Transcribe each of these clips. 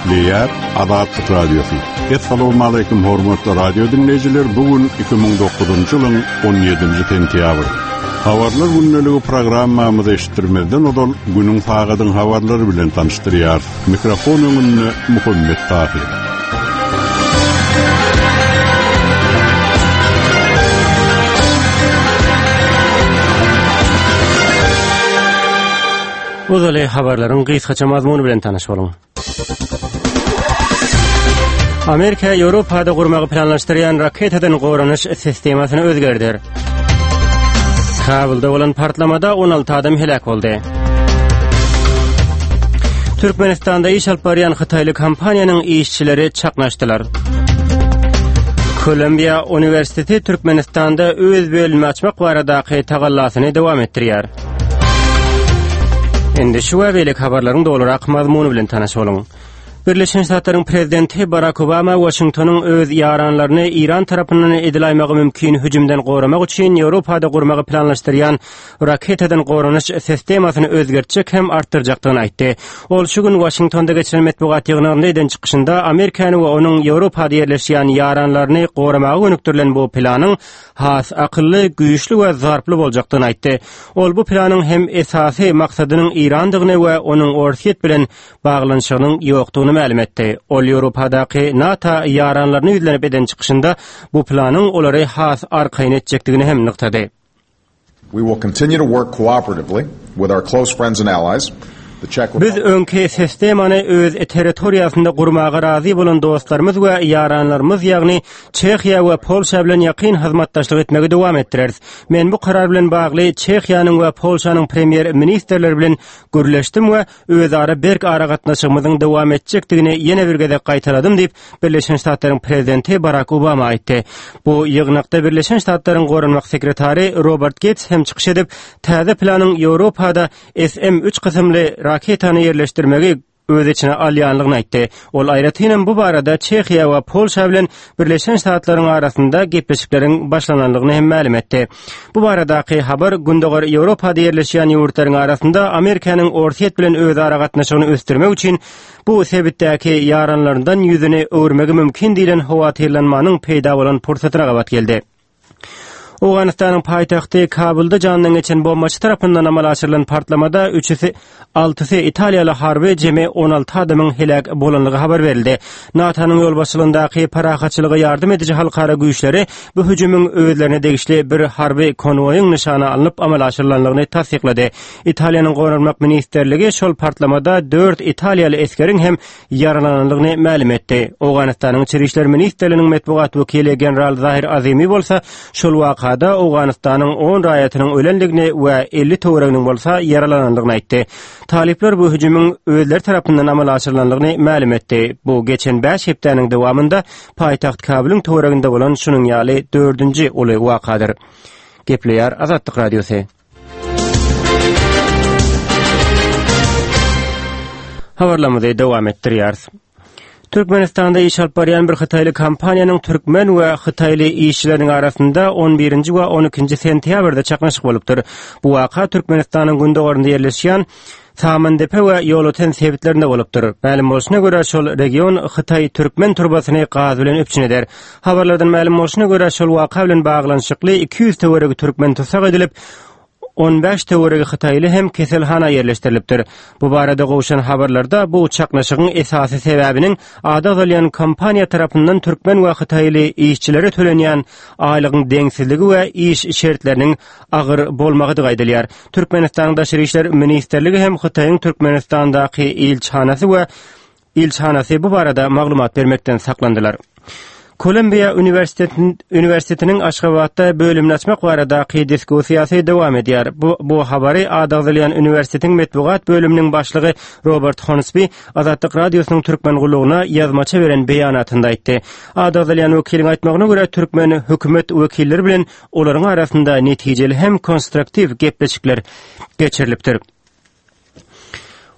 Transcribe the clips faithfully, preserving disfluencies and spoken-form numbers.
Gepleýär Azatlyk Radiosy. Essalamu hormatly radio dinleýjiler. Bu gün iki müň dokuzynjy ýylyň on ýedinji sentýabry. Habarlar gündeligi programmamyzy eşitdirmezden ozal günüň sagadyň habarlary bilen tanyşdyrýar. Mikrofon öňünde Muhammet Tahir. Uzaly habarlaryň gysgaça mazmuny bilen tanyş boluň. Amerika Ýewropada gurmagy planlaşdyrýan raketadan goranyş sistemasyny özgerdir. Kabulda bolan partlamada on alty adam helak boldy. Türkmenistanda iş alyp barýan Hytaýly kompaniýanyň işçileri çaknaşdylar. Kolumbiýa Uniwersiteti Türkmenistanda öz bölümini açmak baradaky tagallasyny dowam etdirýär. Indi şu we beýleki habarlaryň dolurak mazmuny bilen tanyş boluň. Birleşen Ştatlaryň prezidenti Barack Obama Washingtonyň öz ýaranlaryny İran tarapyndan edilaýmagy mümkin hüjümden goramak üçin Ýewropada gurmagy planlaşdyrýan raketadan goranyş sistemasyny özgertjek hem artdyrjakdygyny aýtdy. Ol şu gün Washingtonda geçiren metbugat ýygnagynda eden çykyşynda Amerikany we onuň Ýewropada ýerleşýän ýaranlaryny goramaga gönükdirilen bu planyň has akylly, güýçli we zarply boljakdygyny aýtdy. Ol bu planyň hem esasy maksadynyň İrandygyny we onuň Orsýet bilen baglanyşygynyň ýokdugyny mälim etdi. Ol Ýewropadaky NATO ýaranlaryny ýüzlenip eden çykyşynda bu planyň olary has arkaýyn etjekdigini hem nygtady. We will continue to work cooperatively with our close friends and allies. The Czech Biz Republic öňki sistemany öz territoriýasynda gurmaga razy bolan dostlarymyz we ýaranlarymyz, ýagny Çehiýa we Polşa bilen ýakyn hyzmatdaşlyk etmegi dowam etdireris. Men bu karar bilen bagly Çehiýanyň we Polşanyň premýer ministrleri bilen gürleşdim we özara berk aragatnaşygymyzyň dowam etjekdigini ýene bir gezek gaýtaladym diýip Birleşen Ştatlaryň prezidenti Barack Obama aýtdy. Bu ýygnakda Birleşen Ştatlaryň goranmak sekretary Robert Gates hem çykyş edip, täze planyň Ýewropada S M üç kysymly raketany ýerleşdirmegi öz içine alýanlygyny aýtdy. Ol aýratynam bu barada Çehiýa we Polşa bilen Birleşen Ştatlaryň arasynda gepleşikleriň başlananlygyny hem mälim etdi. Bu baradaky habar Gündogar Ýewropada ýerleşýän ýurtlaryň arasynda Amerikanyň Orsýet bilen özara gatnaşygyny ösdürmek üçin bu sebitdäki ýaranlaryndan ýüzüni öwürmegi mümkin diýlen howatyrlanmanyň peýda bolan pursatyna gabat geldi. Owganystanyň paýtagty Kabulda jandan geçen bombaçy tarapyndan amala aşyrylan partlamada üçüsi, altysy Italiýaly harby jemi on alty adamyň helak bolanlygy habar berildi. NATO-nyň ýolbaşçylygyndaky parahatçylyga ýardam ediji halkara güýçleri bu hüjümiň özlerine degişli bir harby konwoýyň nyşana alnyp amala aşyrylanlygyny tassyklady. Italiýanyň Goranmak ministrligi şol partlamada dört italiýaly esgeriň hem ýaralananlygyny mälim etdi. Owganystanyň İçeri İşler Ministrliginiň metbugat wekili general Zahir Azimi bolsa şol wakada Owganystanyň on raýatynyň ölenligini we elli töwereginiň bolsa ýaralananlygyny aýtdy. Talyplar bu hüjümiň özleri tarapyndan amala aşyrylanlygyny mälim etdi. Bu geçen bäş hepdäniň dowamynda paýtagt Kabulyň töwereginde bolan şunuň ýaly dördünji uly wakadyr. Gepleýär Azatlyk Radiosy. Habarlarymyzy dowam etdirýäris. Türkmenistanda iş alyp barýan bir Hytaýly kompaniýanyň türkmen we Hytaýly işçileriniň arasynda on birinji we on ikinji sentýabrda çaknyşyk bolupdyr. Bu waka Türkmenistanyň gündogarynda ýerleşýän Samandepe we Ýolöten sebitlerinde bolupdyr. Mälim bolşuna görä şol region Hytaý türkmen turbasyny gaz bilen üpjün eder. Habarlardan mälim bolşuna görä şol waka bilen baglanyşykly iki ýüz töweregi türkmen tussag edilip, on bäş töweregi Hytaýly hem keselhana ýerleşdirilipdir. Bu barada gowşan habarlarda bu çaknyşygyň esasy sebäbiniň ady agzalýan kompaniýa tarapyndan türkmen we Hytaýly işçilere tölenýän aýlygyň deňsizligi we iş şertleriniň agyr bolmagydygy aýdylýar. Türkmenistanyň Daşary İşler Ministrligi hem Hytaýyň Türkmenistandaky ilçihanasy we ilçihanasy bu barada maglumat bermekden saklandylar. Kolumbiýa Uniwersitetiniň, Uniwersitetiniň Aşgabatda bölümini açmak baradaky diskussiýasy dowam edýär. Bu, bu habary ady agzalýan uniwersitetiň metbugat bölüminiň başlygy Robert Hornsby Azatlyk Radiosynyň Türkmen gullugyna ýazmaça beren beýanatynda aýtdy. Ady agzalýan wekiliň aýtmagyna görä türkmen hökümet wekilleri bilen olaryň arasynda netijeli hem konstruktiw gepleşikler geçirilipdir.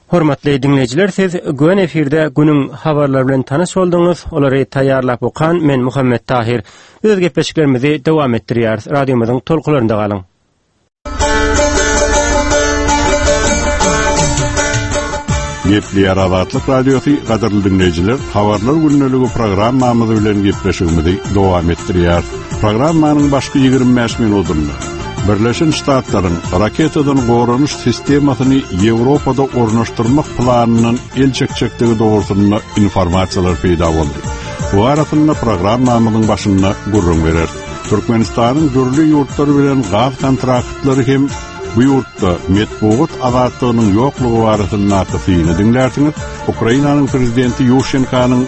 Hormatly dinleýjiler, siz Gön efirde günüň habarlary bilen tanyş bolduňyz. Olary taýýarlap okan men Muhammet Tahir. Öz gepleşiklerimizi dowam etdirýäris. Radiomyzyň tolkunlarynda galyň. Gepleýär Azatlyk Radiosy gadyrly dinleýjiler, habarlar gündeligi programmamyz bilen gepleşigimizi dowam etdirýär. Programmanyň başky ýigrimi bäş minutynda Birleşen Ştatlaryň raketadan goranyş sistemasyny Ýewropada ornaşdyrmak planyndan el çekjekdigi dogrusynda informasiýalar peýda boldy. Bu arasynda programmamyzyň başynda gürrüň berer. Türkmenistanyň dürli ýurtlar bilen gaz kontraktlary hem bu ýurtda metbugat azatlygynyň ýoklugy barasyndaky syny diňlärsiňiz. Ukrainanyň prezidenti Ýuşenkanyň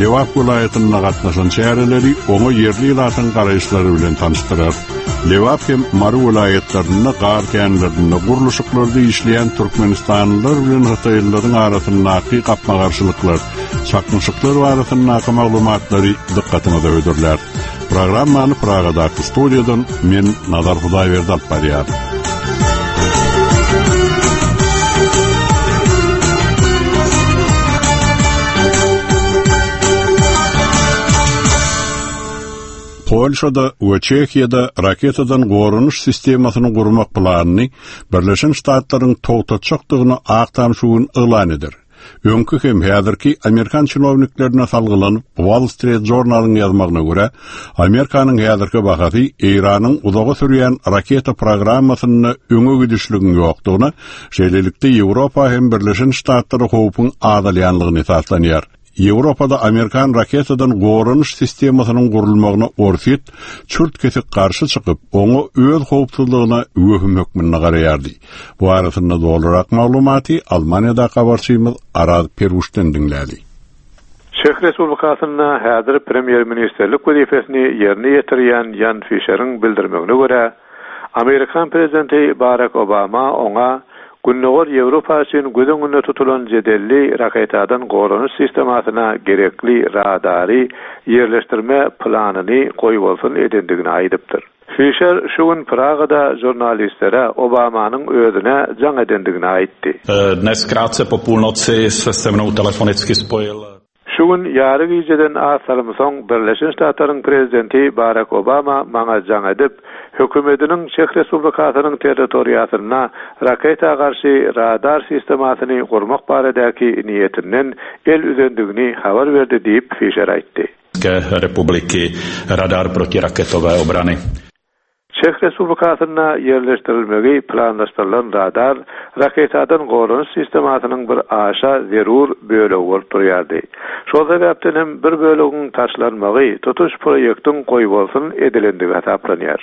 Lebap welaýatynda gatnaşan çäreleri oňa ýerli ilatyň garaýyşlary bilen tanyşdyrar. Lebap hem Mary welaýatlarynda gar känlerinde gurluşyklarda işleýän Türkmenistanlylar bilen Hytaýlylaryň arasyndaky gapma-garşylyklar, çaknyşyklar barasyndaky maglumatlary dykgatyňyza hödürlär. Programmany Pragadaky studiýadan men Nazar Hudaýberdi alyp barýar. Polşada we Çehiýada raketadan goranyş sistemasyny gurmak planyny Birleşen Ştatlaryň togtatjakdygyny Ak Tam şu gün yglan eder. Öňki hem häzirki Amerikan çinowniklerine salgylanyp Wall Street Journal-yň ýazmagyna görä, Amerikanyň häzirki bahasy Eýranyň uzaga sürýän raketa programmasynda öňe gidişligiň ýokdugyna, şeýlelikde Ýewropa hem Birleşen Ştatlara howpuň azalýanlygyny esaslanýar. Ýewropada Amerikan raketadan goranyş sistemasynyň gurulmagyna Orsýet çürt kesik garşy çykyp, oňa öz howpsuzlygyna wehim hökmünde garaýardy. Bu arasynda dolurak maglumaty Almaniýada habarçymyz Araz Peruşdan diňläli. Çeh Respublikasynda häzir premýer-ministrlik wezipesini ýerine ýetirýän Jan Fişeriň bildirmegine görä, Amerikan prezidenti Barack Obama oňa Gündogar Ýewropa üçin göz öňünde tutulan jedelli raketadan goranyş sistemasyna gerekli radary ýerleşdirme planyny goýbolsun edendigini aýdypdyr. Fişer şu gün Pragada žurnalistlere Obamanyň özüne jaň edendigini aýtdy. Dnes krátce po půlnoci se se mnou telefonicky spojil. Şu gün ýary gijeden az salym soň Birleşen Ştatlaryň prezidenti Barack Obama maňa jaň edip, hökümetiniň Çeh Respublikasynyň territoriýasynda raketa garşy radar sistemasyny gurmak baradaky niýetinden el üzendigini habar berdi diýip Fişer aýtdy. Republiki radar protiraketové obrany. Çeh Respublikasynda ýerleşdirilmegi planlaşdyrylan radar raketadan goranyş sistemasynyň bir aşa zerur bölegi bolup durýardy. Şol sebäpden hem bir bölegiň taşlanmagy tutuş proýektiň goýbolsun edilendigi hasaplanýar.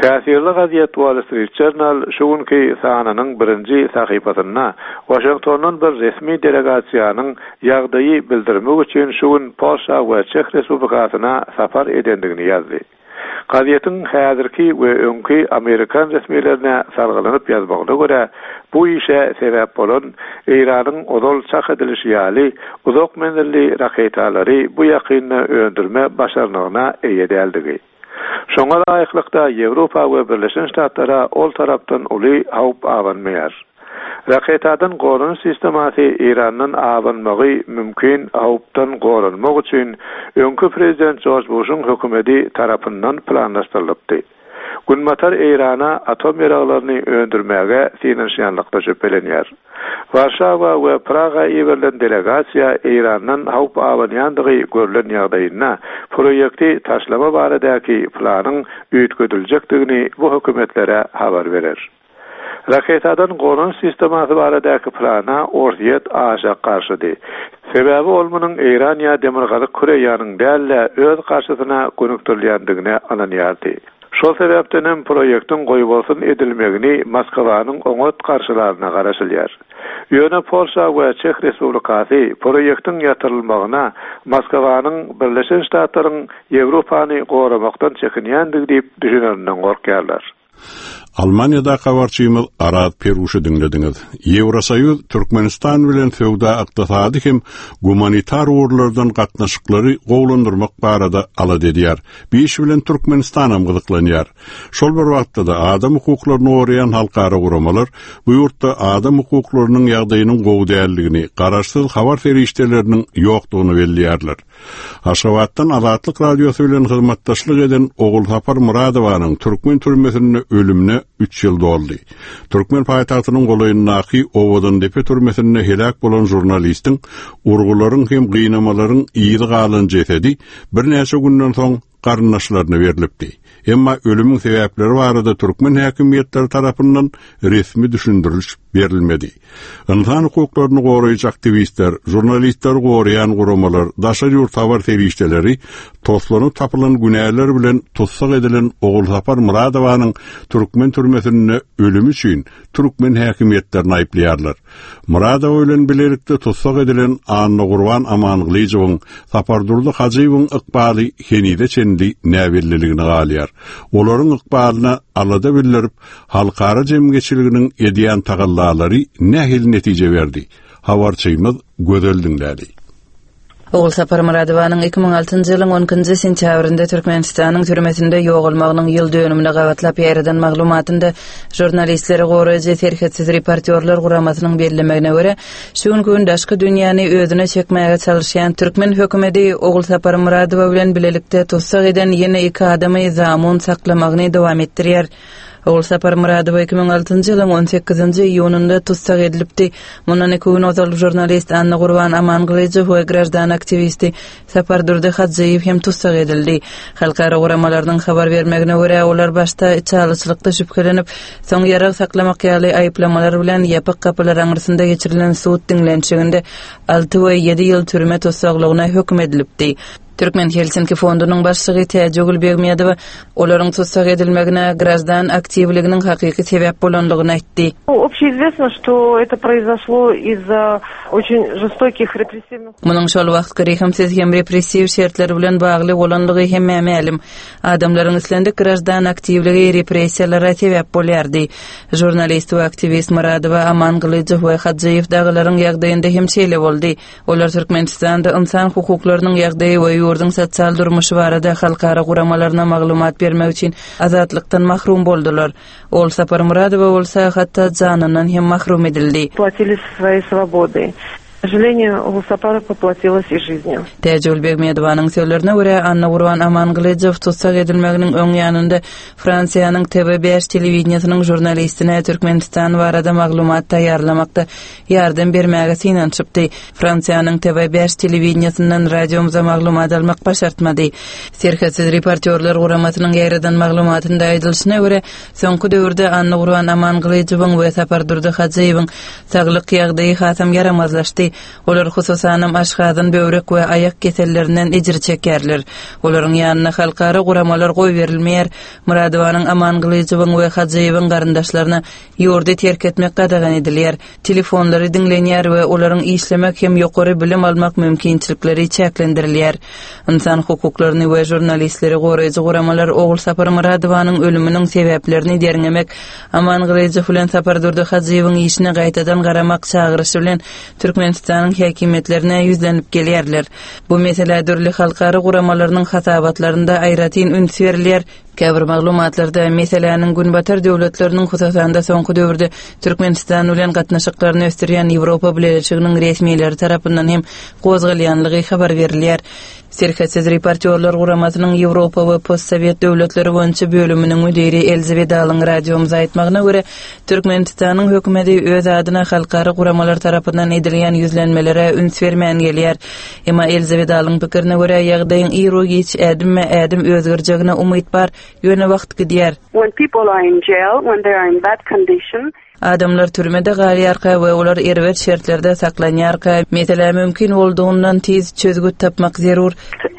Täsirli gazet Wall Street Journal şu günki sanynyň birinji sahypasynda Washingtondan bir resmi delegasiýanyň ýagdaýy bildirmek üçin şu gün Polşa we Çeh Respublikasyna sapar edendigini ýazdy. Gazetiň häzirki we öňki Amerikan resmilerine salgylanyp ýazmagyna görä, bu işe sebäp bolan Eýranyň ozal çak edilişi ýaly uzak menzilli raketalary bu ýakynda öndürme başarnygyna eýe däldigi. Şoňa laýyklykda Ýewropa we Birleşen Ştatlara ol tarapdan uly howp abanmaýar. Raketadan goranyş sistemasy Eýrandan abanmagy mümkin howpdan goranmak üçin öňki prezident George Bush'un hökümeti tarapyndan planlaşdyrylypdy. Günbatar Eýrana atom ýaraglaryny öndürmäge synanyşýanlykda şübhelenýär. Warşawa we Praga iberilen delegasiýa Eýrandan howp abanýandygy görlen ýagdaýynda proýekti taşlama baradaky planyň üýtgediljekdigini bu hökümetlere habar berer. Raketadan goranyş sistemasy baradaky plana Orsýet aşa garşydy. Sebäbi ol munuň Eýran ýa Demirgazyk Koreýanyň däl-de öz garşysyna gönükdirilýändigine ynanýardy. Şol sebäpden hem proýektiň goýbolsun edilmegini Moskwanyň oňat garşylaryna garaşylýar. Ýöne Polşa we Çeh Respublikasy proýektiň ýatyrylmagyna Moskwanyň Birleşen Ştatlaryň Ýewropany goramakdan çekinýändigi diýip düşünerinden gorkýarlar. Almaniýada habarçymyz Araz Peruşy diňlediňiz. Ýewrosoýuz Türkmenistan bilen söwda ykdysady hem gumanitar ugurlardan gatnaşyklary gowulandyrmak barada alada edýär. Bu iş bilen Türkmenistan hem gyzyklanýar. Şol bir wagtda da adam hukuklaryny goraýan halkara guramalar bu ýurtda adam hukuklarynyň ýagdaýynyň gowy däldigini, garaşsyz habar serişdeleriniň ýokdugyny belleýärler. Aşgabatdan Azatlyk Radiosy bilen hyzmatdaşlyk eden Ogulsapar Muradowanyň türkmen türmesinde ölümüne ölenine üç ýyl doldy. Türkmen paýtagtynyň golaýyndaky Owadandepe türmesinde heläk bolan žurnalistiň urgularyň hem gynamalaryň yzy galan jesedi birnäçe günden soň garyndaşlaryna berlipdi. Emma ölümiň sebäpleri barada türkmen häkimiýetleri tarapyndan resmi düşündiriş berilmedi. Ynsan hukuklaryny goraýjy aktiwistler, žurnalistleri goraýan guramalar, daşary ýurt habar serişdeleri toslanyp tapylan günäler bilen tussag edilen Ogulsapar Myradowanyň türkmen türmesinde ölümi üçin türkmen häkimiýetlerini aýyplaýarlar. Myradowa bilen bilelikde tussag edilen Annagurban Amangylyjowyň, Sapardurdy Hajyýewiň ykbaly henize çenli näbelliligine galýar. Olaryň ykbalyna alada bildirip, halkara jemgyýetçiliginiň edýän tagallalary nähili netije berdi? Habarçymyz Gözel diňläli. Ogulsapar Myradowanyň iki müň altynjy ýylyň on ikinji sentýabrynda Türkmenistanyň türmesinde ýogalmagynyň ýyl dönümine gabatlap ýaýradan maglumatynda žurnalistleri goraýjy Serhetsiz reportýorlar guramasynyň bellemegine görä, şu günki gün daşky dünýäni özüne çekmäge çalışýan türkmen hökümeti Ogulsapar Myradowa bilen bilelikde tussag eden ýene iki adamy zamun saklamagyny dowam etdirýär. Ogulsapar Myradowa iki müň altynjy ýylyň on sekizinji iýunynda tussag edilipdi. Mundan iki gün ozal žurnalist Annagurban Amangylyjow we graždan aktiwisti Sapardurdy Hajyýew hem tussag edildi. Halkara guramalarynyň habar bermegine görä, olar başda içalyçylykda şübhelenip, soň ýarag saklamak ýaly aýyplamalar bilen ýapyk gapylar aňyrsynda geçirilen sud diňlenişiginde alty we ýedi ýyl türme tussaglygyna höküm edilipdi. Türkmen Helsinki fondunyň başlygy Täjigül Begmedowa olaryň tussag edilmegine graždan aktiwliginiň hakyky sebäp bolanlygyny aýtdy. Общеизвестно, что это произошло из-за очень жестоких репрессивных Munuň şol wagtky rehimsiz hem repressiw şertler bilen bagly bolanlygy hemmä mälim. Adamlaryň islendik graždan aktiwligi repressiýalara sebäp bolýardy. Žurnalist we aktiwist Myradowa Amangylyjow we Hajyýew dagylaryň ýagdaýynda hem şeýle boldy. Olar Türkmenistanda insan hukuklarynyň ýagdaýy we ýurduň sosial durmuşy barada halkara guramalaryna maglumat bermek üçin azatlykdan mahrum boldular. Ogulsapar Myradowa bolsa hatda janyndan hem mahrum edildi. Платили своей свободой. К сожалению, Ogulsapar поплатилась и жизнью. Täjigül Begmedowanyň sözlerine görä, Annagurban Amangylyjow tussag edilmeginiň öň ýanynda Fransiýanyň T V bäş telewideniýesiniň žurnalistine Türkmenistan barada maglumat taýýarlamakda ýardam bermäge synanyşypdy. Fransiýanyň T V bäş telewideniýesinden radiomyza maglumat almak başartmady. Serhetsiz reportýorlar guramasynyň ýaýradan maglumatynda aýdylyşyna görä, soňky döwürde Annagurban Amangylyjowyň we Sapardurdy Hajyýewiň saglyk ýagdaýy hasam ýaramazlaşdy. Olar hususanam aşgazan, böwrek we aýak kesellerinden ejir çekerler. Olaryň ýanyna halkara guramalar goý berilmeýär. Myradowanyň Amangylyjowyň we Hajyýewiň garyndaşlaryna ýurdy terk etmek gadagan edilýär. Telefonlary diňlenýär we olaryň işlemek hem ýokary bilim almak mümkinçilikleri çäklendirilýär. Insan hukuklaryny we žurnalistleri goraýjy guramalar Ogulsapar Myradowanyň ölüminiň sebäplerini derňemek, Amangylyjow bilen Sapardurdy Hajyýewiň işine gaýtadan garamak çagyryşy bilen Türkmenistanyň häkimiýetlerine ýüzlenip gelýärler. Bu mesele dürli halkara guramalarynyň hasabatlarynda aýratyn üns berilýär. Käbir maglumatlarda meseläniň Günbatar döwletleriniň hususan-da soňky döwürde Türkmenistan bilen gatnaşyklaryny ösdürýän Ýewropa Bileleşiginiň resmileri tarapyndan hem gozgalýanlygy habar berilýär. Serhetsiz reportýorlar guramasynyň Ýewropa we Postsovet döwletleri boýunça bölüminiň müdiri Elze Widalyň radiomyza aýtmagyna görä, Türkmenistanyň hökümeti öz adyna halkara guramalar tarapyndan edilýän ýüzlenmelere üns bermän gelýär. Emma Elze Widalyň pikirine görä, ýagdaýyň iru-giç ädimme-ädim özgerjegine umyt bar, ýöne wagt gidýär. When people are in jail, when they are in bad condition, Adamlar türmede galýarka we olar erbet şertlerde saklanýarka, mesele mümkin boldugyny tiz çözgüt tapmak zerur.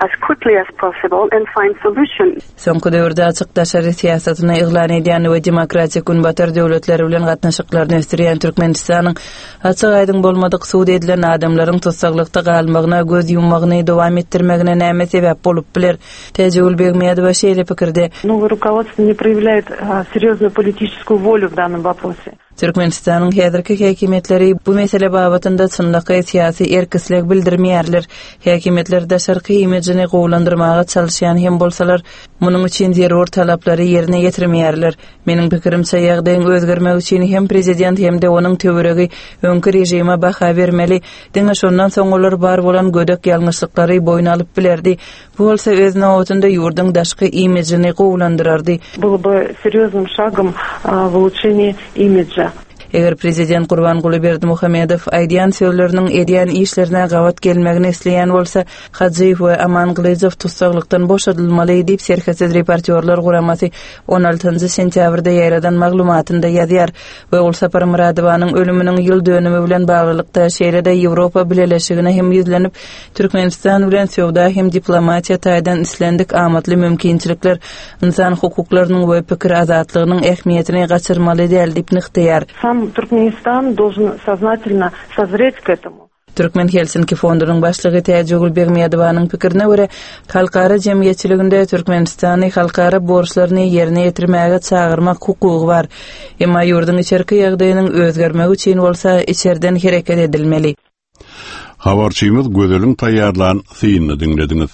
As quickly as possible and find solution. Soňky döwürde açyk daşary syýasatyny yglan edýän we demokratik Günbatar döwletleri bilen gatnaşyklaryny ösdürýän Türkmenistanyň açyk aýdyň bolmadyk sud edilen adamlaryň tussaglykda galmagyna göz ýummagyny dowam etdirmegine näme sebäp bolup biler? Täjigül Begmedowa şeýle pikirde. Новое руководство не проявляет, а, серьезную политическую волю в данном вопросе. Türkmenistanyň häzirki häkimiýetleri bu mesele babatynda çynlakaý syýasy erk-isleg bildirmeýärler. Häkimiýetler daşarky imijini gowulandyrmaga çalyşýan hem bolsalar, munuň üçin zerur talaplary ýerine ýetirmeýärler. Meniň pikirimçe, ýagdaýyň özgermegi üçin hem prezident hem-de onuň töweregi öňki režime baha bermeli. Diňe şondan soň olar bar bolan gödek ýalňyşlyklary boýun alyp bilerdi. Bu bolsa öz nobatynda ýurduň daşky imijini gowulandyrardy. Было бы серьезным шагом в улучшении имиджа. Eger prezident Gurbanguly Berdimuhamedow aýdýan sözleriniň edýän işlerine gabat gelmegini isleýän bolsa, Hajyýew we Amangylyjow tussaglykdan boşadylmaly diýip Serhetsiz reportýorlar guramasy on altynjy sentýabrda ýaýradan maglumatynda ýazýar we ol Sapar Myradowanyň ölüminiň ýyl dönümi bilen baglylykda şeýle-de Ýewropa Bileleşigine hem ýüzlenip, Türkmenistan bilen söwda hem diplomatiýa taýdan islendik amatly mümkinçilikler insan hukuklarynyň we pikir azatlygynyň ähmiýetini gaçyrmaly däl diýip nygtaýar. Сам Туркменистан должен сознательно созреть к этому. Türkmen Helsinki fondunyň başlygy Täjigül Begmedowanyň pikirine görä, halkara jemgyýetçiliginde Türkmenistany halkara borçlaryny ýerine ýetirmäge çagyrmak hukugy bar. Emma ýurduň içerki ýagdaýynyň özgermegi üçin bolsa içerden hereket edilmeli. Habarçymyz Gözeliň taýýarlan synyny diňlediňiz.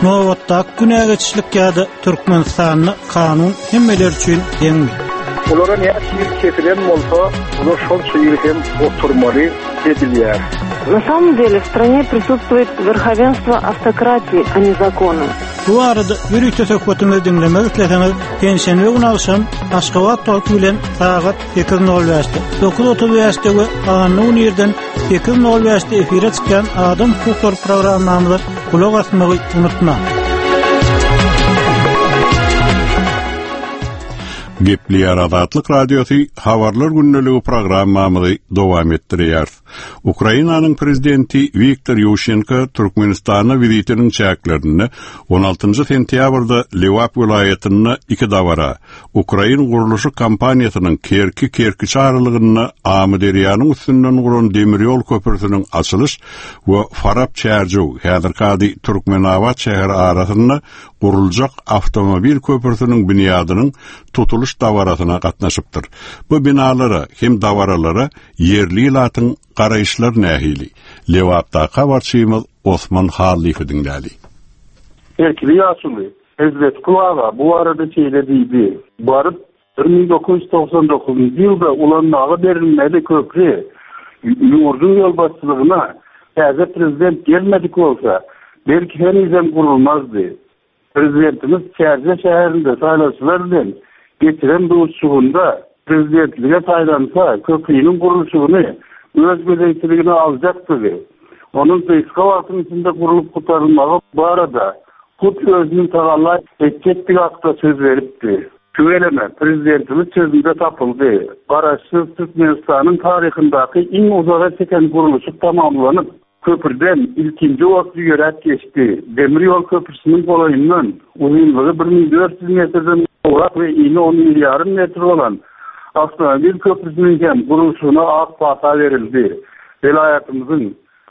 Nobatdaky günä geçişlik ýa-da Türkmenistanda kanun hemmeler üçin deňmi? Olara näçe ýyl kesilen bolsa, olar şonça ýyl hem oturmaly edilýär. На самом деле в стране присутствует верховенство автократии, а не закона. Bu arada ýörite söhbetimizi diňlemek isleseňiz, penşenbe güni agşam Aşgabat wagty bilen sagat sekiz nol bäşde, dokuz otuz bäşde we anna gün irden sekiz nol bäşde efire çykýan Adam hukuklary programmamyza gulak asmagy unutmaň. Gepleýär Azatlyk Radiosy habarlar gündeligi programmamyzy dowam etdirýär. Ukrainanyň prezidenti Wiktor Ýuşenko Türkmenistana wizitiniň çäklerinde on altynjy sentýabrda Lewap welaýatynda iki dabara Ukrain gurluşyk kompaniýasynyň Kerki Kerkiç aralygynda Amyderýanyň üstünden guran demir ýol köprüsiniň açylyş we Farap Çärjew häzirki ady Türkmenabat şäheri arasynda guruljak awtomobil köprüsiniň binýadynyň tutulyş dabarasyna gatnaşypdyr. Bu binalara hem dabaralara ýerli ilatyň garaýyşlar nähili? Lewapdaky habarçymyz Osman Hallyýew diňläli. Kerkili ýaşuly Hezret Kulaga bu arada şeýle diýdi. Baryp bir müň dokuz ýüz togsan dokuzunjy ýylda ulanmaga berilmeli köprü ýurduň ýolbaşçylygyna täze prezident gelmedik bolsa, belki henizem gurulmazdy. Prezidentimiz Çärje şäherinde saýlawçylar bilen geçiren duşuşygynda prezidentlige saýlansa köprüniň gurluşygyny öz gözegçiligine aljakdy. Onuň gysga wagtyň içinde gurlup gutarylmagy barada hut özüniň tagalla etjekdigi hakda söz beripdi. Tüweleme, prezidentimiz sözünde tapyldy. Garaşsyz Türkmenistanyň taryhyndaky iň uzaga çeken gurluşyk tamamlanyp, köprüden ilkinji otly ýöräp geçdi. Demir ýol köprüsiniň golaýyndan uzynlygy bir müň dört ýüz metrden gowrak we ini on bir ýarym metr bolan awtomobil köprüsiniň hem gurluşygyna ak pata berildi. Welaýatymyzyň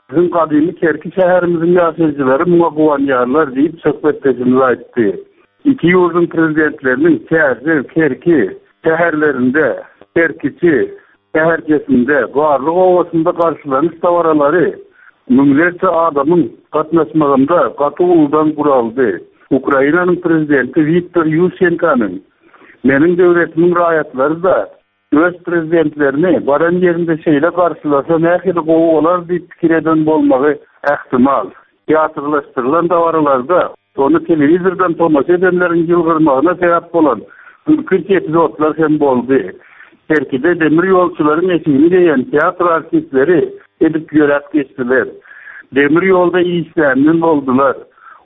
bizim gadymy Kerki şäherimiziň ýaşaýjylary muňa guwanýarlar diýip söhbetdeşimiz aýtdy. Iki ýurduň prezidentleriniň Çärjew, Kerki şäherlerinde, Kerkiçi şäherçesinde, Garlyk obasynda garşylanyş dabaralary müňlerçe adamyň gatnaşmagynda gaty uludan guraldy. Ukrainanyň prezidenti Wiktor Ýuşenkonyň meniň döwletimiň raýatlary da öz prezidentlerini baran ýerinde şeýle garşylasa nähili gowy bolar diýip pikir eden bolmagy ähtimal. Teatrlaşdyrylan dabaralarda ony telewizordan tomaşa edenleriň ýylgyrmagyna sebäp bolan gülkünç epizodlar hem boldy. Kerkide demir ýolçularyň eşigini geýen teatr artistleri edip ýöräp geçdiler. Demir ýolda işlänler boldular.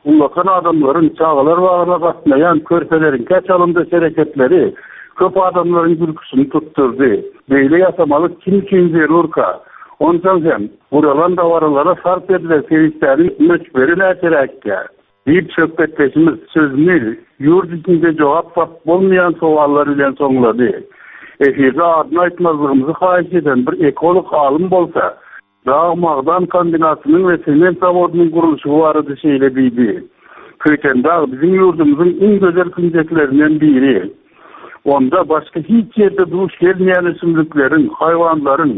Ullakan adamlaryň çagalar bagyna gatnaýan körpeleriň käçalymda hereketleri köp adamlaryň gülküsini tutdurdy. Beýle ýasamalyk kim üçin zerurka? Ondan hem guralan dabaralara sarp edilen serişdeleriň möçberi näçeräkkä? Diýip söhbetdeşimiz sözüni ýurt içinde jogap tapyp bolmaýan sowallar bilen soňlady. Efirde adyny aýtmazlygymyzy haýyş eden bir ekolog alym bolsa, Dag magdan kombinatynyň we sement zawodynyň gurluşygy barada şeýle diýdi. Köýtendag biziň ýurdumyzyň iň gözel künjeklerinden biri. Onda başga hiç ýerde duş gelmeýän ösümlikleriň, haýwanlaryň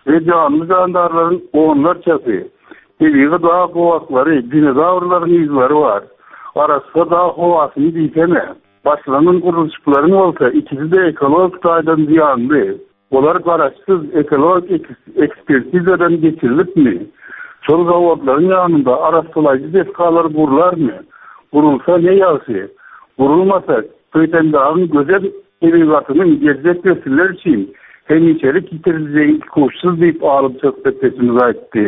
we janly jandarlaryň onlarçasy, tebigy dag gowaklary, dinozawrlaryň yzlary bar. Arassa dag howasyny diýsene. Başlanan gurluşyklaryň bolsa ikisi-de ekologik taýdan zyýanly. Olar garaşsyz ekologik ekspertizadan geçirilipmi? Şol zawodlaryň ýanynda arassalaýjy desgalar gurlarmy? Gurulsa ne ýagşy? Gurulmasa Köýtendagyň gözel tebigatynyň geljek nesiller üçin hemişelik ýitiriljegi ikuçsuz diýip alym söhbetdeşimiz aýtdy.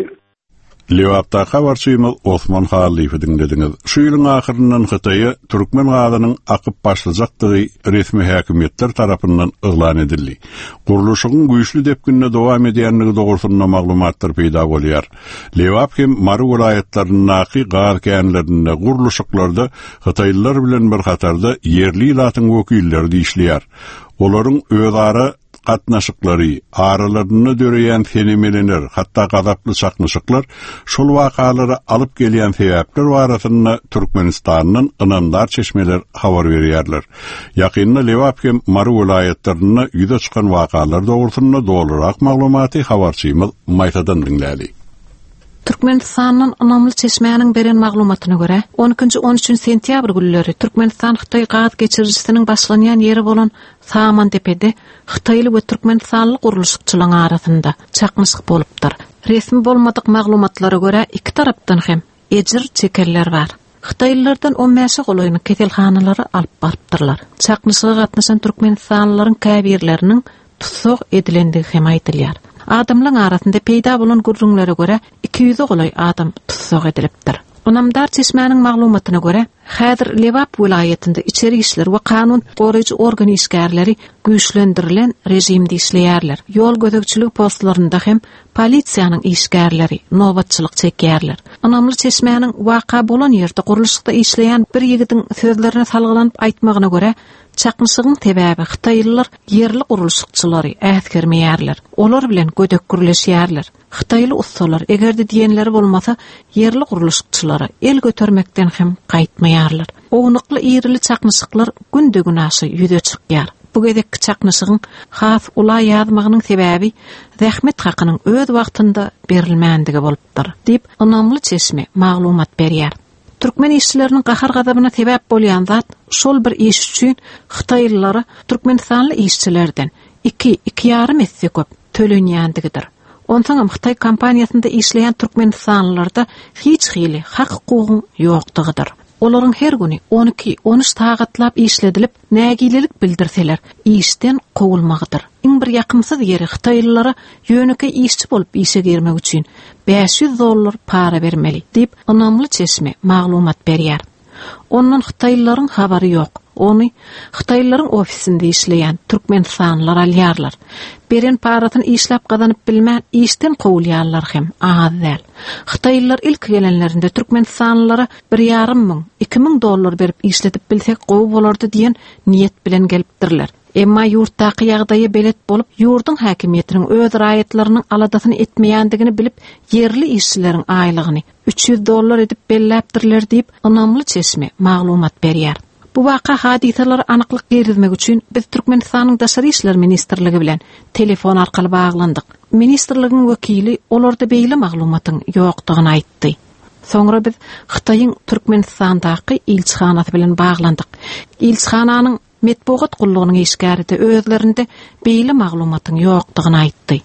Lebapdaky habarçymyz Osman Hallyýewi diňlediňiz. Şu ýylyň ahyryndan Hytaýa türkmen gazynyň akyp başlajakdygy resmi häkimiýetler tarapyndan yglan edildi. Gurluşygyň güýçli depginde dowam edýändigi dogrusynda maglumatlar peýda bolýar. Lebap hem Mary welaýatlaryndaky gaz känlerinde gurluşyklarda Hytaýlylar bilen bir hatarda ýerli ilatyň wekilleri işleýär. Olaryň özara gatnaşyklary, aralarynda döreýän senemelener, hatda gazaply çaknyşyklar şol wakalara alyp gelýän sebäpler barasynda Türkmenistandan ynamdar çeşmeler habar berýärler. Ýakynda Lebap hem Mary welaýatlarynda ýüze çykan wakalar dogrusynda dolurak maglumaty habarçymyz Maýsadan diňläli. Türkmenistandan ynamly çeşmäniň beren maglumatyna görä, on ikinji on üçünji sentýabr günleri Türkmenistan Hytaý gaz geçirijisiniň başlanýan ýeri bolan Samandepede Hytaýly we Türkmenistanly gurluşykçylaryň arasynda çaknyşyk bolupdyr. Resmi bolmadyk maglumatlara görä iki tarapdan hem ejir çekenler bar. Hytaýlylardan on bäşe golaýyny keselhanalara alyp barypdyrlar. Çaknyşyga gatnaşan Türkmenistanlylaryň käbirleriniň tussag edilendigi hem aýdylýar. Adamlaryň arasynda peýda bolan gürrüňlere görä iki ýüze golaý adam tussag edilipdir. Ynamdar çeşmäniň maglumatyna görä, häzir Lebap welaýatynda içeri işler we kanun goraýjy organ işgärleri güýçlendirilen rejimde işleýärler. Ýol gözegçiligi postlarynda hem polisiýanyň işgärleri nobatçylyk çekýärler. Ynamly çeşmäniň waka bolan ýerde gurluşykda işleýän bir ýigidiň sözlerine salgylanyp aýtmagyna görä, çaknyşygyň sebäbi Hytaýlylar ýerli gurluşykçylary äsgermeýärler. Olar bilen gödek gürleşýärler. Hytaýly ussalar eger-de diýenleri bolmasa, ýerli gurluşykçylara el götermekden hem gaýtmaýarlar. Ownukly irili çaknyşyklar günde-gün aşa ýüze çykýar. Bu gezekki çaknyşygyň has ula ýazmagynyň sebäbi zähmet hakynyň öz wagtynda berilmändigi bolupdyr, diýip ynamly çeşme maglumat berýär. Türkmen işçileriniň gahar gazabyna sebäp bolýan zat şol bir iş üçin Hytaýlylara Türkmenistanly işçilerden iki, iki ýarym esse köp tölenýändigidir. Onsoňam Hytaý kompaniýasynda işleýän Türkmenistanlylarda hiç hili hak hukugyň ýokdugydyr. Olaryň her güni on iki, on üç sagatlap işledilip, nägilelik bildirseler, işden kowulmagydyr. Iň bir ýakymsyz ýeri Hytaýlylara ýönekeý işçi bolup işe girmek üçin bäş ýüz dollar para bermeli, diýip ynamly çeşme maglumat berýär. Ondan Hytaýlylaryň habary ýok. Ony Hytaýlylaryň ofisinde işleýän Türkmenistanlylar alýarlar. Beren parasyny işläp gazanyp bilmän işden kowulýarlar hem az däl. Hytaýlylar ilk gelenlerinde Türkmenistanlylara bir ýarym müň, iki müň dollar berip işledip bilsek gowy bolardy diýen niýet bilen gelipdirler. Emma ýurtdaky ýagdaýa belet bolup, ýurduň häkimiýetiniň öz raýatlarynyň aladasyny etmeýändigini bilip, ýerli işçileriň aýlygyny üç ýüz dollar edip belläpdirler diýip, ynamly çeşme maglumat berýär. Bu waka hadysalary anyklyk girizmek üçin biz Türkmenistanyň Daşary işler ministrligi bilen telefon arkaly baglandyk. Ministrligiň wekili olarda beýle maglumatyň ýokdugyny aýtdy. Soňra biz Hytaýyň Türkmenistandaky ilçihanasy bilen baglandyk. Ilçihananyň metbugat gullugynyň işgäri de özlerinde beýle maglumatyň ýokdugyny aýtdy.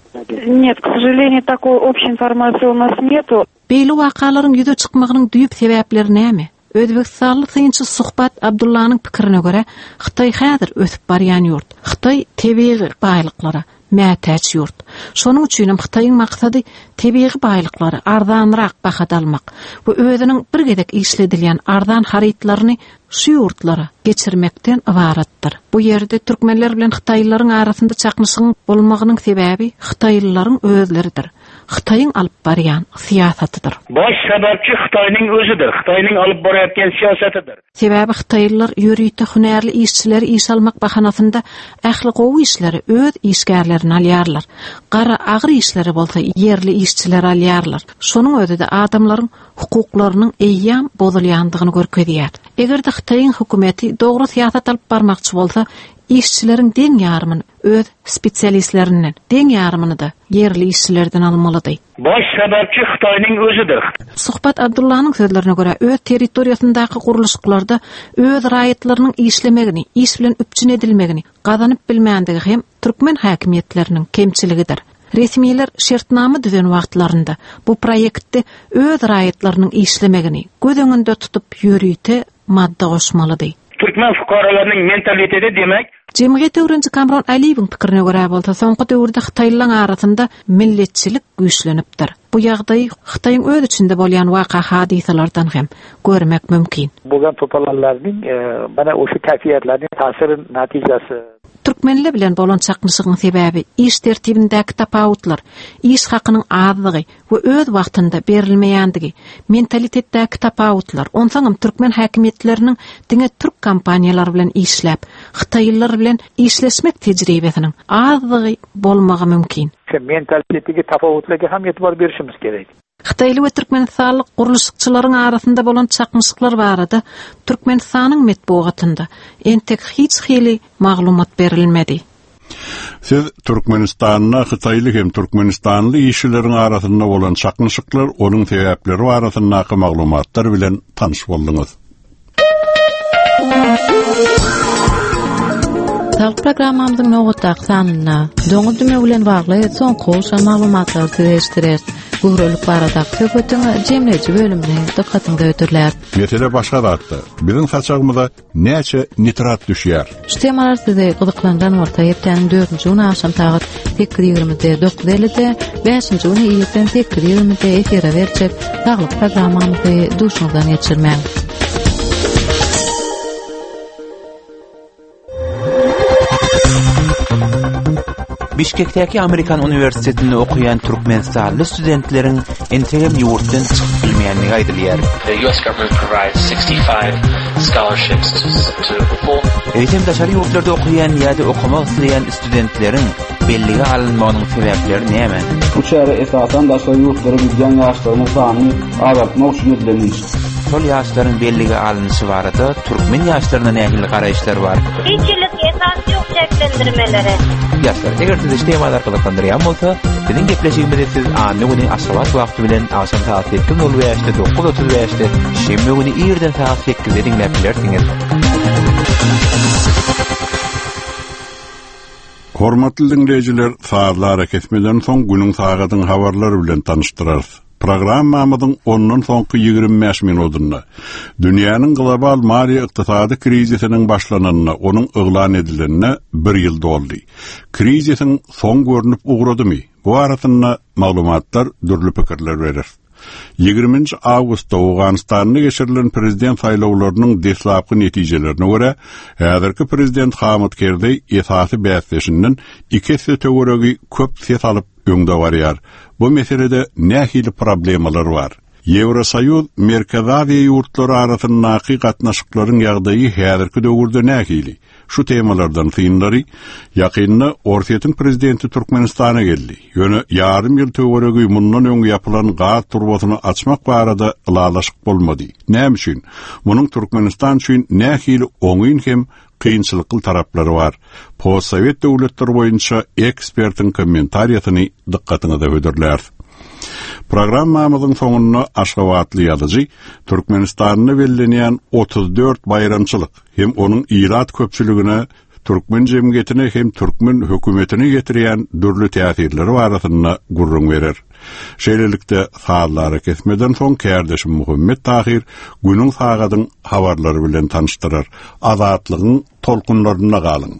Нет, к сожалению, такой общей информации у нас нету. Beýle wakalaryň ýüze çykmagynyň düýp sebäpleri näme? Özbekistanly synçy Suhbat Abdullanyň pikirine görä, Hytaý häzir ösüp barýan ýurt. Hytaý tebigy baýlyklara mätäç ýurt. Şonuň üçin hem Hytaýyň maksady tebigy baýlyklary arzanrak bahada almak we özüniň bir gezek işledilýän arzan harytlaryny şu ýurtlara geçirmekden ybaratdyr. Bu ýerde türkmenler bilen Hytaýlylaryň arasynda çaknyşygyň bolmagynyň sebäbi Hytaýlylaryň özleridir. Hytaýyň alyp barýan syýasatydyr. Baş sebäpçi Hytaýyň özüdir. Hytaýyň alyp barýan syýasatydyr. Sebäbi Hytaýlylar ýörite hünärli işçileri iş almak bahanasynda ähli gowy işleri öz işgärlerini alýarlar. Gara agyr işleri bolsa ýerli işçiler alýarlar. Şonuň özi-de adamlaryň hukuklarynyň eýýäm bozulýandygyny görkezýär. Eger-de Hytaýyň hökümeti dogry syýasat alyp barmakçy bolsa, işçileriň deň ýarymyny öz spesialistlerinden, deň ýarymyny da ýerli işçilerden almalydy. Baş sebäpçi Hytaýyň özüdir. Suhbat Abdullanyň sözlerine görä, öz territoriýasyndaky gurluşyklarda öz raýatlarynyň işlemegini, iş bilen üpjün edilmegini gazanyp bilmändigi hem türkmen häkimiýetleriniň kemçiligidir. Resmiler şertnama düzen wagtlarynda bu proýektde öz raýatlarynyň işlemegini göz öňünde tutup ýörite madda goşmalydy. Türkmen fukaralarynyň mentaliteti demek Jemgyýet öwreniji Kamron Aliýewiň pikirine görä bolsa, soňky döwürde Hytaýlylaryň arasynda milletçilik güýçlenipdir. Bu ýagdaý Hytaýyň öz içinde bolýan waka hadysalardan hem görmek mümkin. Bo'lgan to'polonlarning e, mana o'sha kayfiyatlarning ta'siri natijasi. Türkmenler bilen bolan çaknyşygyň sebäbi iş tertibindäki tapawutlar, iş hakynyň azlygy we öz wagtynda berilmeýändigi, mentalitetdäki tapawutlar, onsoňam türkmen häkimiýetleriniň diňe türk kompaniýalary bilen işläp, Hytaýlylar bilen işleşmek tejribesiniň azlygy bolmagy mümkin. Mentalitetdagi tafovutlarga ham e'tibor berishimiz kerak. Hytaýly we Türkmenistanly gurluşykçylaryň arasynda bolan çaknyşyklar barada Türkmenistanyň metbugatynda entek hiç hili maglumat berilmedi. Siz Türkmenistanda Hytaýly hem Türkmenistanly işçileriň arasynda bolan çaknyşyklar, onuň sebäpleri barasyndaky maglumatlar bilen tanyş bolduňyz. Saglyk programmamyzyň nobatdaky sanynda doňuz dümewi bilen bagly soňky gowşan maglumatlary size eşitdireris. Göwrelilik baradaky söhbetiň jemleýji bölümini dykgatyňyza hödürläris. Mesele başga zatda. Biziň saçagymyza näçe nitrat düşýär? Şu temalar sizi gyzyklandyran bolsa, hepdäniň dördünji güni agşam sagat sekiz ýigrimide, dokuz ellide, bäşinji güni irden sekiz ýigrimide efire berjek saglyk programmamyzy duşuňyzdan geçirmäň. Bişkekdäki Amerikan Uniwersitetinde okuýan Türkmenistanly studentleriň entegem ýurtdan çykyp bilmeýändigi aýdylýar. The U S government provides sixty-five scholarships to, to full Eýsem daşary ýurtlarda okuýan ýa-da okamak isleýän studentleriň bellige alynmagynyň sebäpleri näme? Bu çäre esasan daşary ýurtlara gidýän ýaşlaryň sanyny azaltmak üçin edilen iş. Şol ýaşlaryň bellige alynşy barada türkmen ýaşlaryna nähili garaýyşlar bar? Hiç ýylyk esas ýok çäklendirmelere. Ýaşlar, eger sizi şu temalar gyzyklandyrýan bolsa, biziň gepleşigimizi siz anna güni Aşgabat wagty bilen agşam sagat sekiz nol bäşde, dokuz otuz bäşde, şenbe güni irden sagat sekizde diňläp bilersiňiz. Hormatly dinleýjiler, sazlara kesmeden soň günüň sagadyň habarlary bilen tanyşdyrarys. Programmamyzyň ondan soňky ýigrimi bäş minutynda dünýäniň global maliýe ykdysady krizisiniň başlananyna, onuň yglan edilenine bir ýyl doldy. Krizisiň soň görnüp ugradymy? Bu arasynda maglumatlar dürli pikirler berer. Ýigriminji awgustda Owganystanda geçirilen prezident saýlawlarynyň deslapky netijelerine görä, häzirki prezident Hamid Kerzeý esasy bäsdeşinden iki esse töweregi köp ses alyp öňde barýar. Bu meselede nähili problemalar bar? Ýewrosoýuz Merkezi Aziýa ýurtlary arasyndaky gatnaşyklaryň ýagdaýy häzirki döwürde nähili? Şu temalardan synlary ýakynda Orsýetiň prezidenti Türkmenistana geldi. Ýöne ýarym ýyl töweregi mundan öň ýapylan gaz turbasyny açmak barada ylalaşyk bolmady. Näme üçin? Munuň Türkmenistan üçin nähili oňyn hem kynçylykly taraplary bar? Postsowet döwletleri boýunça ekspertiň kommentariýasyny dykgatyňyza hödürläris. Programmamyzyň soňunda Aşgabatly ýazyjy Türkmenistanda bellenýän otuz dört baýramçylyk hem onuň ilat köpçüligine, türkmen jemgyýetine hem türkmen hökümetine getirýän dürli täsirleri barasynda gürrüň berer. Şeýlelikde sazlara kesmeden soň kärdeşim Muhammet Tahir günüň sagadyň habarlary bilen tanyşdyrar. Azatlygyň tolkunlarynda galyň.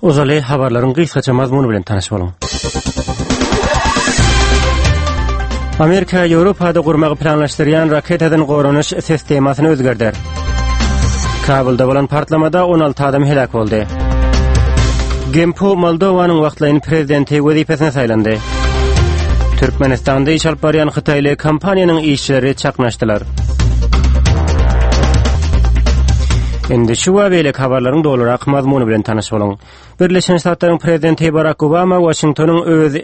Ozaly habarlaryň gysgaça mazmuny bilen tanyş boluň. Amerika Ýewropada gurmagy planlaşdyrýan raketadan goranyş sistemasyny özgerder. Kabulda bolan partlamada on alty adam heläk boldy. Gempu Moldowanyň wagtlaýyn prezidenti wezipesine saýlandy. Türkmenistanda iş alyp barýan hytaýly kompaniýanyň işçileri çaknyşdylar. Indi şu we beýleki habarlaryň dolurak mazmuny bilen tanyş boluň. Birleşen Ştatlaryň prezidenti Barak Obama Waşingtonyň öz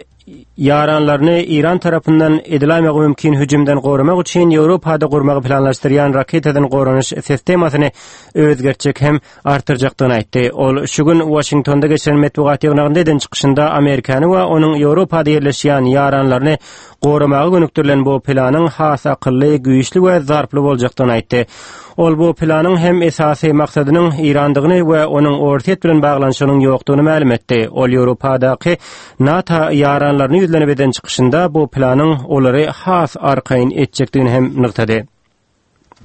ýaranlaryny Iran tarapyndan ediläýmegi mümkin hüjümden goramak üçin Ýewropada gurmagy planlaşdyrýan raketadan goranyş sistemasyny özgertjek hem artdyrjakdygyny aýtdy. Ol şu gün Waşingtonda geçiren metbugat ýygnagynda eden çykyşynda Amerikany we onuň Ýewropada ýerleşýän ýaranlaryny goramaga gönükdirilen bu planyň has akylly, güýçli we zarply boljakdygyny aýtdy. Ol bu planyň hem esasy maksadynyň Irandygyny we onuň Orsýet bilen baglanyşygynyň ýokdugyny mälim etdi. Ol Ýewropadaky NATO ýaranlaryny ýüzlenip eden çykyşynda bu planyň olary has arkaýyn etjekdigini hem nygtady.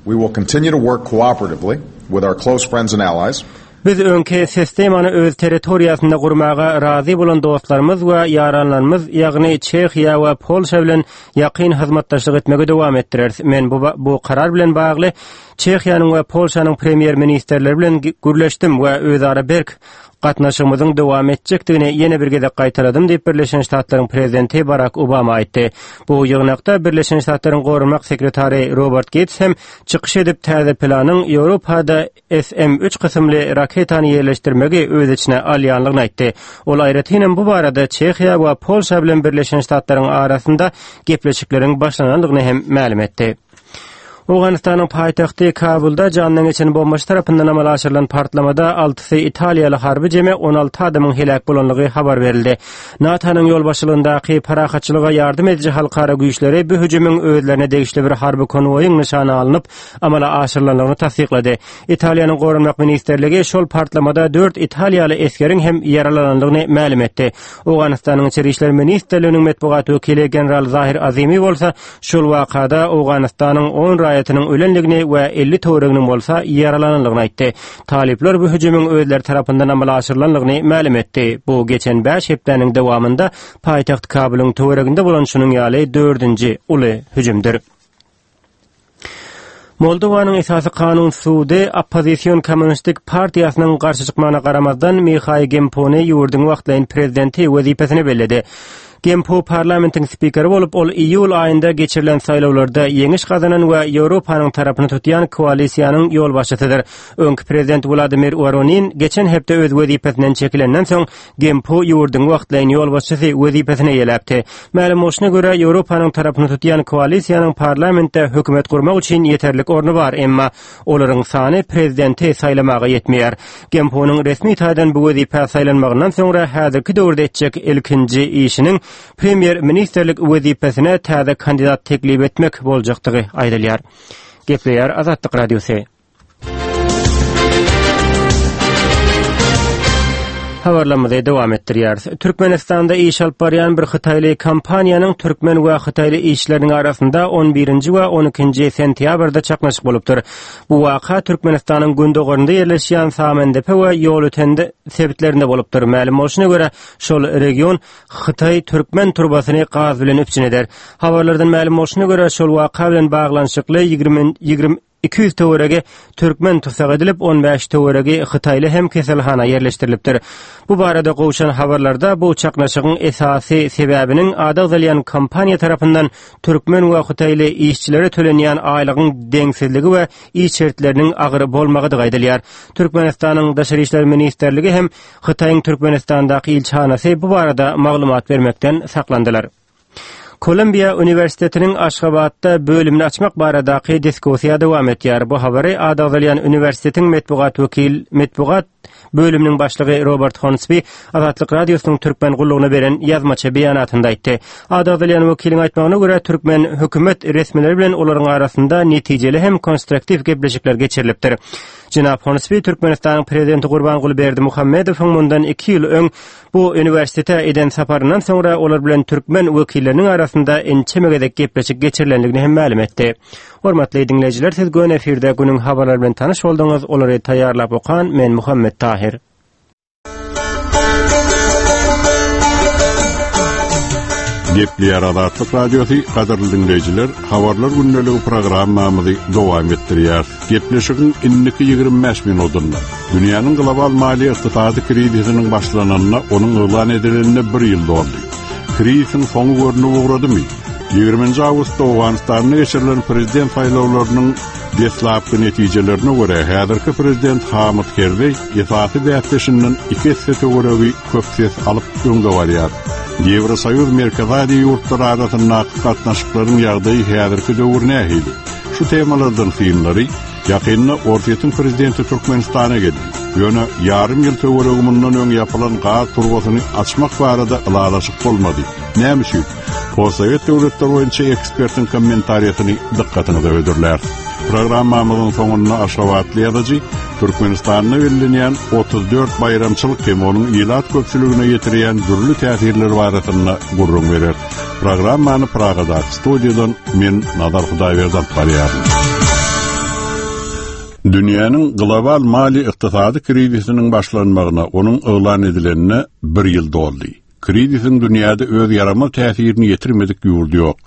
We will continue to work cooperatively with our close friends and allies. Biz öňki sistemany öz territoriýasynda gurmaga razy bolan dostlarymyz we ýaranlarymyz, ýagny Çehiýa we Polşa bilen ýakyn hyzmatdaşlyk etmegi dowam etdireris. Men bu, bu karar bilen bagly Çehiýanyň we Polşanyň premýer-ministrleri bilen gürleşdim we özara berk gatnaşygymyzyň dowam etjekdigini ýene bir gezek gaýtaladym diýip Birleşen Ştatlaryň prezidenti Barak Obama aýtdy. Bu ýygnakda Birleşen Ştatlaryň goranmak sekretary Robert Gates hem çykyş edip täze planyň Ýewropada S M üç kysymly raketany ýerleşdirmegi öz içine alýanlygyny aýtdy. Ol aýratyn bu barada Çehiýa we Polşa bilen Birleşen Ştatlaryň arasynda gepleşikleriň başlanandygyny hem mälim etdi. Owganystanyň paýtagty Kabulda jandan geçen bombaçy tarapyndan amala aşyrylan partlamada altysy italiýaly harby jemi on alty adamyň heläk bolanlygy habar berildi. NATO-nyň ýolbaşçylygyndaky parahatçylyga ýardam ediji halkara güýçleri bu hüjümiň özlerine degişli bir harby konwoýyň nyşana alnyp amala aşyrylanlygyny tassyklady. Italiýanyň Goranmak ministrligi şol partlamada dört italiýaly esgeriň hem ýaralanandygyny mälim etdi. Owganystanyň Içeri işler ministrliginiň metbugat wekili general Zahir Azimi bolsa şol wakada Owganystanyň on raýatynyň ölenligini we elli töwereginiň bolsa ýaralananlygyny aýtdy. Talyplar bu hüjümiň özleri tarapyndan amala aşyrylanlygyny mälim etdi. Bu geçen bäş hepdäniň dowamynda paýtagt Kabulyň töwereginde bolan şunuň ýaly dördünji uly hüjümdir. Moldowanyň esasy kanun sudy oppozision kommunistik partiýasynyň garşy çykmagyna garamazdan Mihaý Gempony ýurduň wagtlaýyn prezidenti wezipesine belledi. Gempu parlamentiň spikeri bolup, ol iýul aýynda geçirilen saýlawlarda ýeňiş gazanan we Ýewropanyň tarapyny tutýan koalisiýanyň ýolbaşçysydyr. Öňki prezident Wladimir Voronin geçen hepde öz wezipesinden çekilenden soň Gempu ýurduň wagtlaýyn ýolbaşçysy wezipesine ýeläpdi. Mälim bolşuna görä, Ýewropanyň tarapyny tutýan koalisiýanyň parlamentde hökümet gurmak üçin ýeterlik orny bar, emma olaryň sany prezidenti saýlamaga ýetmeýär. Gempunyň resmi taýdan bu wezipä saýlanmagyndan soňra häzirki döwürde etjek ilkinji işiniň premýer-ministrlik wezipesine täze kandidat teklip etmek boljakdygy aýdylýar. Gepleýär Azatlyk Radiosy. Habarlarymyzy dowam etdirýäris. Türkmenistanda iş alyp barýan bir hytaýly kompaniýanyň türkmen we hytaýly işçileriniň arasynda on birinji we on ikinji sentýabrda çaknyşyk bolupdyr. Bu waka Türkmenistanyň gündogarynda ýerleşýän Samandepe we Ýolötende sebitlerinde bolupdyr. Mälim bolşuna görä, şol region Hytaý türkmen turbasyny gaz bilen üpjün eder. Habarlardan mälim bolşuna görä, şol waka bilen baglanyşykly ýigrimi ýigrimi iki ýüz töweregi türkmen tussag edilip, on bäş töweregi hytaýly hem keselhana ýerleşdirilipdir. Bu barada gowşan habarlarda bu çaknyşygyň esasy sebäbiniň ady agzalýan kompaniýa tarapyndan türkmen we hytaýly işçilere tölenýän aýlygyň deňsizligi we iş şertleriniň agyr bolmagydygy aýdylýar. Türkmenistanyň Daşary işler ministrligi hem Hytaýyň Türkmenistandaky ilçihanasy bu barada maglumat bermekden saklandylar. Kolumbiýa Uniwersitetiniň Aşgabatda bölümini açmak baradaky diskussiýa dowam etýär. Bu habary ady agzalýan uniwersitetiň metbugat wekil metbugat bölüminiň başlygy Robert Hornsby Azatlyk Radiosynyň türkmen gullugyna beren ýazmaça beýanatynda aýtdy. Ady agzalýan wekiliň aýtmagyna görä, türkmen hökümet resmileri bilen olaryň arasynda netijeli hem konstruktiw gepleşikler geçirilipdir. Jenap Hornsby Türkmenistanyň prezidenti Gurbanguly Berdimuhamedowyň mundan iki ýyl öň bu uniwersitete eden saparyndan soňra olar bilen türkmen wekilleriniň arasynda ençeme gezek gepleşik geçirilendigini hem mälim etdi. Hormatly dinleýjiler, siz göni efirde günüň habarlary bilen tanyş bolduňyz. Olary taýýarlap okan men Muhammet Tahir. Gepleýär Azatlyk Radiosy, gadyrly diňleýjiler, habarlar gündeligi programmamyzy dowam etdirýär. Gepleşigiň indiki ýigrimi bäş minutynda dünýäniň global maliýe ykdysady krizisiniň başlananyna onuň yglan edilenine bir ýyl doldy. Krizisiň soňy görnüp ugradymy? Ýigriminji awgustda Owganystanda geçirilen prezident saýlawlarynyň deslapky netijelerine görä, häzirki prezident Hamid Kerzeý esasy bäsdeşinden iki esse töweregi köp ses alyp öňde barýar. Ýewrosoýuz Merkezi Aziýa ýurtlary arasyndaky gatnaşyklaryň ýagdaýy häzirki döwür nähili? Şu temalardan synlary ýakynda Orsýetiň prezidenti Türkmenistana geldi. Ýöne ýarym ýyl töweregi mundan öň ýapylan gaz turbasyny açmak barada ylalaşyk bolmady. Näme üçin? Postsowet döwletler boýunça ekspertiň kommentariýasyny dykgatyňyza hödürläris. Programmamyzyň soňunda Aşgabatly ýazyjy Türkmenistanda bellenýän otuz dört baýramçylyk hem onuň ilat köpçüligine ýetirýän dürli täsirler barasynda gürrüň berer. Programmany Pragadaky studiýadan men Nazar Hudaýberdi alyp barýaryn. Dünýäniň global maliýe ykdysady krizisiniň başlanmagyna onuň yglan edilenine bir ýyl doldy. Krizisiň dünýäde öz ýaramaz täsirini ýetirmedik ýurdy ýok.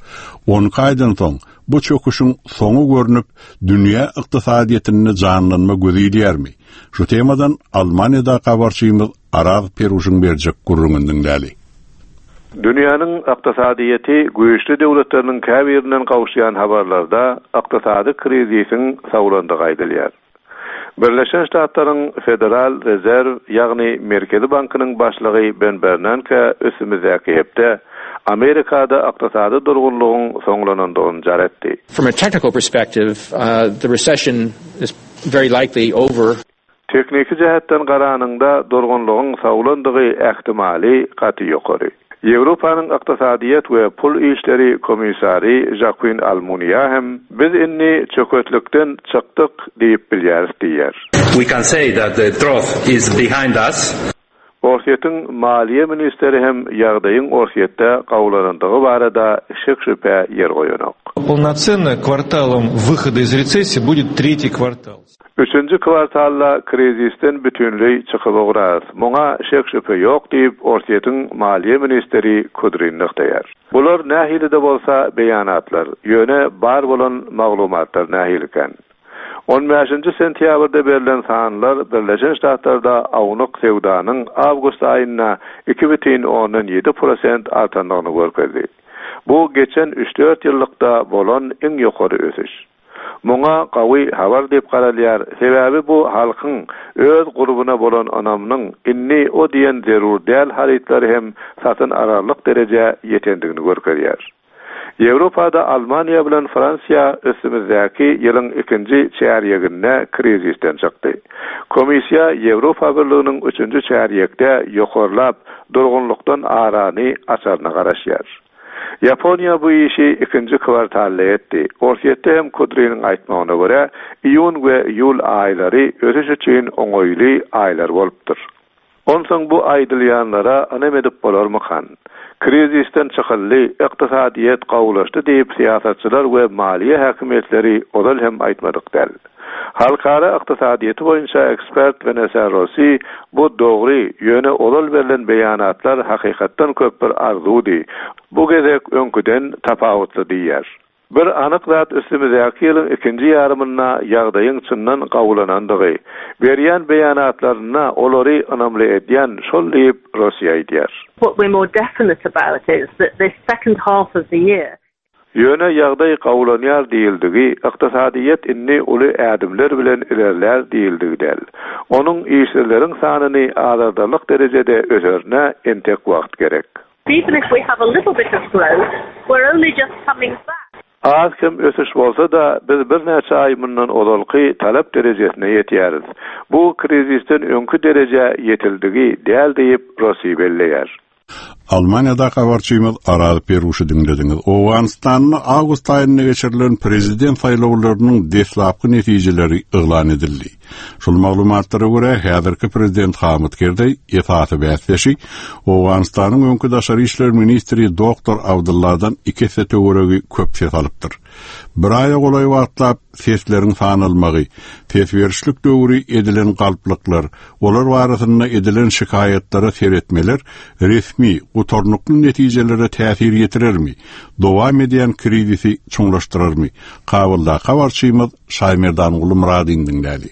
On iki aýdan soň bu çöküşiň soňy görnüp, dünýä ykdysadyýetinde janlanma gözi ilýärmi? Şu temadan Almaniýada habarçymyz Araz Peruşyň berjek gürrüňini diňläli. Dünýäniň ykdysadyýeti güýçli döwletleriniň käbirinden gowuşýan habarlarda ykdysady krizisiň sawlandygy aýdylýar. Birleşen Ştatlaryň Federal Rezerw, ýagny Merkezi bankynyň başlygy Ben Bernanke üstümizdäki hepde Amerikada ykdysady durgunlygyň soňlanandygyny jar etdi. From a technical perspective, uh, the recession is very likely over. Tehniki jähetden garanyňda durgunlygyň sawlandygy ähtimaly gaty ýokary. Ýewropanyň ykdysadyýet we pul işleri komissary Joaquin Almunia hem biz indi çöketlikden çykdyk diýip bilýäris diýýär. We can say that the trough is behind us. Orsýetiň maliýe ministri hem ýagdaýyň Orsýetde gawlanandygy barada şek-şübhä ýer goýanok. Полноценно кварталом выхода из рецессии будет третий квартал. Üçünji kwartalda krizisden bütünleý çykyp ugrarys. Muňa şek-şübhe ýok diýip Orsýetiň maliýe ministri Kudrin nygtaýar. Bular nähili-de bolsa beýanatlar, ýöne bar bolan maglumatlar nähiliken? On bäşinji sentýabrda berlen sanlar Birleşen Ştatlarda awnyk söwdanyň awgust aýynda iki bütin ondan ýedi prosent artandygyny görkezdi. Bu geçen üç-dört ýyllykda bolan iň ýokary ösüş. Muňa gawy habar diýip garalýar, sebäbi bu halkyň öz gurbuna bolan ynamynyň indi o diýen zerur däl harytlary hem satyn alarlyk derejä ýetendigini görkezýär. Ýewropada Almaniýa bilen Fransiýa üstümizdäki ýylyň ikinji çärýeginde krizisden çykdy. Komissiýa Ýewropa Birliginiň üçünji çärýekde ýokarlap durgunlykdan arany açaryna garaşýar. Ýaponiýa bu işi ikinji kwartalda etdi. Orsýetde hem Kudriniň aýtmagyna görä, iýun we iýul aýlary ösüş üçin oňaýly aýlar bolupdyr. Onsoň bu aýdylýanlara ynam edip bolarmykan? Krizisden çykyldy, ykdysadyýet gawulaşdy diýip syýasatçylar we maliýe häkimiýetleri ozal hem aýtmadyk däl. Halkara ykdysadyýeti boýunça ekspert Vanessa Rossi bu dogry, ýöne ozal berlen beýanatlar hakykatdan köp bir arzuwdy. Bu gezek öňküden tapawutly diýýär. Bir anyk zat üstümizdäki ýylyň ikinji ýarymynda ýagdaýyň çyndan gawulanandygy, berýän beýanatlaryna olary ynamly edýän şol diýip Rossi aýdýar. What we're more definite about is that this second half of the year Ýöne ýagdaý gawulanýar diýildigi, ykdysadyýet indi uly ädimler bilen ilerlär diýildigi däl. Onuň işsizleriň sanyny azaldarlyk derejede öserine entek wagt gerek. Even if we have a little bit of growth, we're only just coming back. Az kem ösüş bolsa da biz birnäçe aý mundan ozalky talap derejesine ýetýäris. Bu krizisden öňki derejä ýetildigi däl diýip Rossi belleýär. Almaniýada habarçymyz Araz Peruşy diňlediňiz. Owganystanda awgust aýynda geçirilen prezident saýlawlarynyň deslapky netijeleri yglan edildi. Şol maglumatlara görä häzirki prezident Hamid Kerzeý esasy bäsdeşi Owganystanyň öňki daşary işler ministri Doktor Abdullahdan iki esse töweregi köp ses alypdyr. Bir aýa golaý wagtlap sesleriň sanalmagy, ses berişlik döwri edilen galplyklar, olar barasynda edilen şikaýatlara seretmeler resmi gutarnykly netijelere täsir ýetirermi? Dowam edýän krizisi çuňlaşdyrarmy? Kabulda habarçymyz Şaýmerdanguly Myradyň diňläli.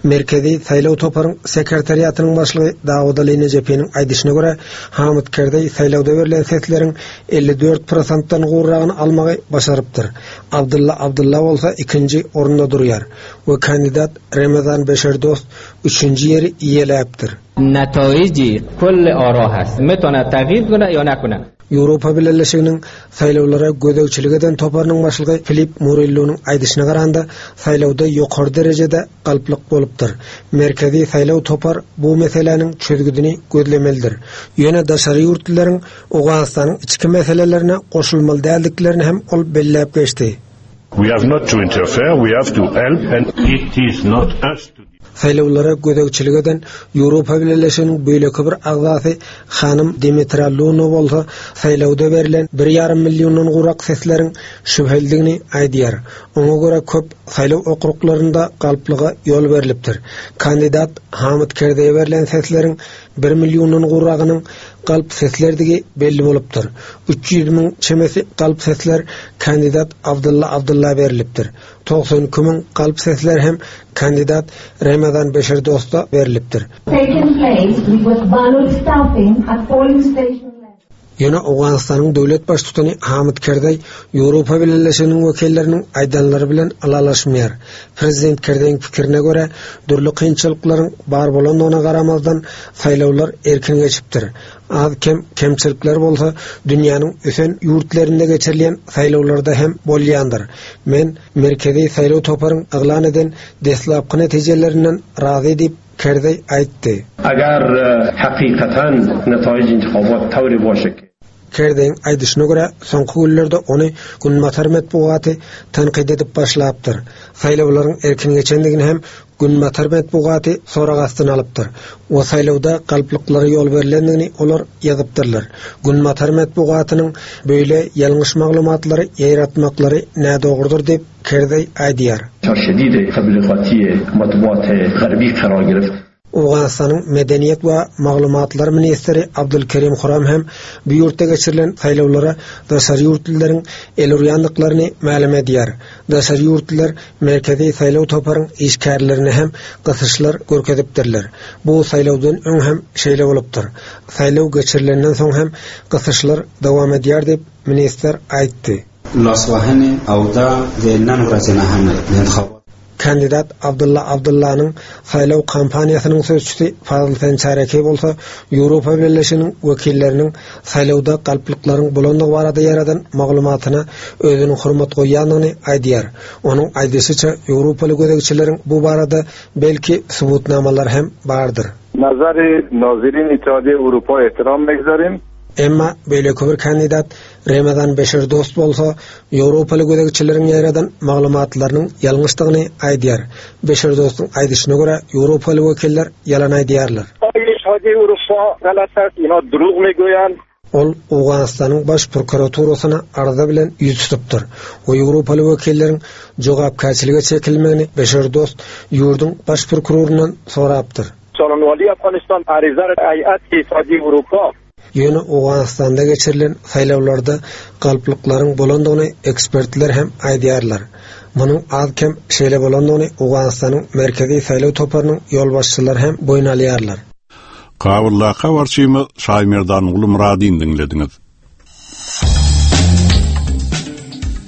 Merkezi saýlaw toparyň sekretariatynyň başlygy Dawud Ali Nejepiniň aýdyşyna görä, Hamid Kerzeý saýlawda berlen sesleriň elli dört prosentden gowragyny almagy başarypdyr. Abdulla Abdulla bolsa ikinji orunda durýar we kandidat Remezan Beşerdost üçünji ýeri eýeläpdir. نتایج کل آرا هست میتونه تغییر کنه یا نکنه. Ýewropa Bileleşiginiň saýlawlara gözegçilik eden toparynyň başlygy Filip Murillonyň aýdyşyna garanda saýlawda ýokary derejede galplyk bolupdyr. Merkezi saýlaw topar bu meseläniň çözgüdini gözlemelidir. Ýöne daşary ýurtlaryň Owganystanyň içki meselelerine goşulmaly däldiklerini hem ol belläp geçdi. We have not to interfere, we have to help and it is not us to Saýlawlara gözegçilik eden Ýewropa Bileleşiginiň beýleki bir agzasy hanym Dimitra Luno bolsa saýlawda berlen bir ýarym milliondan gowrak sesleriň şübhelidigini aýdýar. Oňa görä köp saýlaw okruglarynda galplyga ýol berlipdir. Kandidat Hamid Kerzeýe berlen sesleriň bir milliondan gowragynyň galp seslerdigi belli bolupdyr. Üç ýüz müň çemesi galp sesler kandidat Abdulla Abdulla berilipdir. Togsan iki müň galp sesler hem kandidat Remezan Beşerdosta berilipdir. Taken place with ballot stuffing at polling station. Ýöne Owganystanyň döwlet baştutany Hamid Kerzeý Ýewropa Bileleşiginiň wekilleriniň aýdanlary bilen ylalaşmaýar. Prezident Kerzeýiň pikirine görä, dürli kynçylyklaryň bar bolandygyna garamazdan saýlawlar erkin geçipdir. Az kem kemçilikler bolsa dünýäniň ösen ýurtlarynda geçirilýän saýlawlarda hem bolýandyr. Men Merkezi saýlaw toparyň yglan eden deslapky netijelerinden razy diýip Kerzeý aýtdy. Agar hakikatan netaij intikhabat tawri boşa Kerzeýiň aýdyşyna görä, soňky günlerde ony Günbatar metbugaty tanqid edip başlapdyr. Saýlawlaryň erkin geçendigini hem Günbatar metbugaty sorag astyna alypdyr. O saýlawda galplyklara ýol berilendigini olar ýazypdyrlar. Günbatar metbugatynyň beýle ýalňyş maglumatlary ýaýratmaklary nädogrudyr diýip Kerzeý aýdýar. Şedid tabliğati matbuat g'arbiy qarar girip. Owganystanyň Medeniýet we Maglumatlar ministri Abdulkerim Huram hem bu ýurtda geçirilen saýlawlara daşary ýurtlylaryň el urýandyklaryny mälim edýär. Daşary ýurtlylar merkezi saýlaw toparyň işgärlerini hem gysyşlar görkezipdirler. Bu saýlawdan öň hem şeýle bolupdyr. Saýlaw geçirilenden soň hem gysyşlar dowam edýär diýip ministr aýtdy. Laswahene awda zenan wracena hem Kandidat Abdulla Abdullanyň saýlaw kampaniýasynyň sözçüsi Fazıl Sençareke bolsa Ýewropa Bileleşiginiň wekilleriniň saýlawda galplyklaryň bolandygy barada ýaradan maglumatyna özüniň hurmat goýýandygyny aýdýar. Onuň aýdyşyça Ýewropaly gözegçileriň bu barada belki subutnamalar hem bardyr. Nazary nazirin Ittihadyýe Ewropa ehtiram megzarim. Emma beýleki bir kandidat Remezan Beşerdost bolsa Ýewropaly gözegçileriň ýaradan maglumatlarynyň ýalňyşdygyny aýdýar. Beşerdostyň aýdyşyna görä Ýewropaly wekiller ýalan aýdýarlar. Ittihadyýe Ewropa galat است, ina drug megoýan. Ol Owganystanyň baş prokuraturasyna arza bilen ýüz tutupdyr. O Ýewropaly wekilleriň jogapkärçilige çekilmegini Beşerdost ýurduň baş prokurorundan sorapdyr. Soranwali Afganistan ariza Hayat Ittihadyýe Ewropa. Ýöne Owganystanda geçirilen saýlawlarda galplyklaryň bolandygyny ekspertler hem aýdýarlar. Munuň az kem şeýle bolandygyny Owganystanyň Merkezi saýlaw toparynyň ýolbaşçylary hem boýun alýarlar. Kabulda habarçymyz Şaýmerdanguly Myradyny diňlediňiz.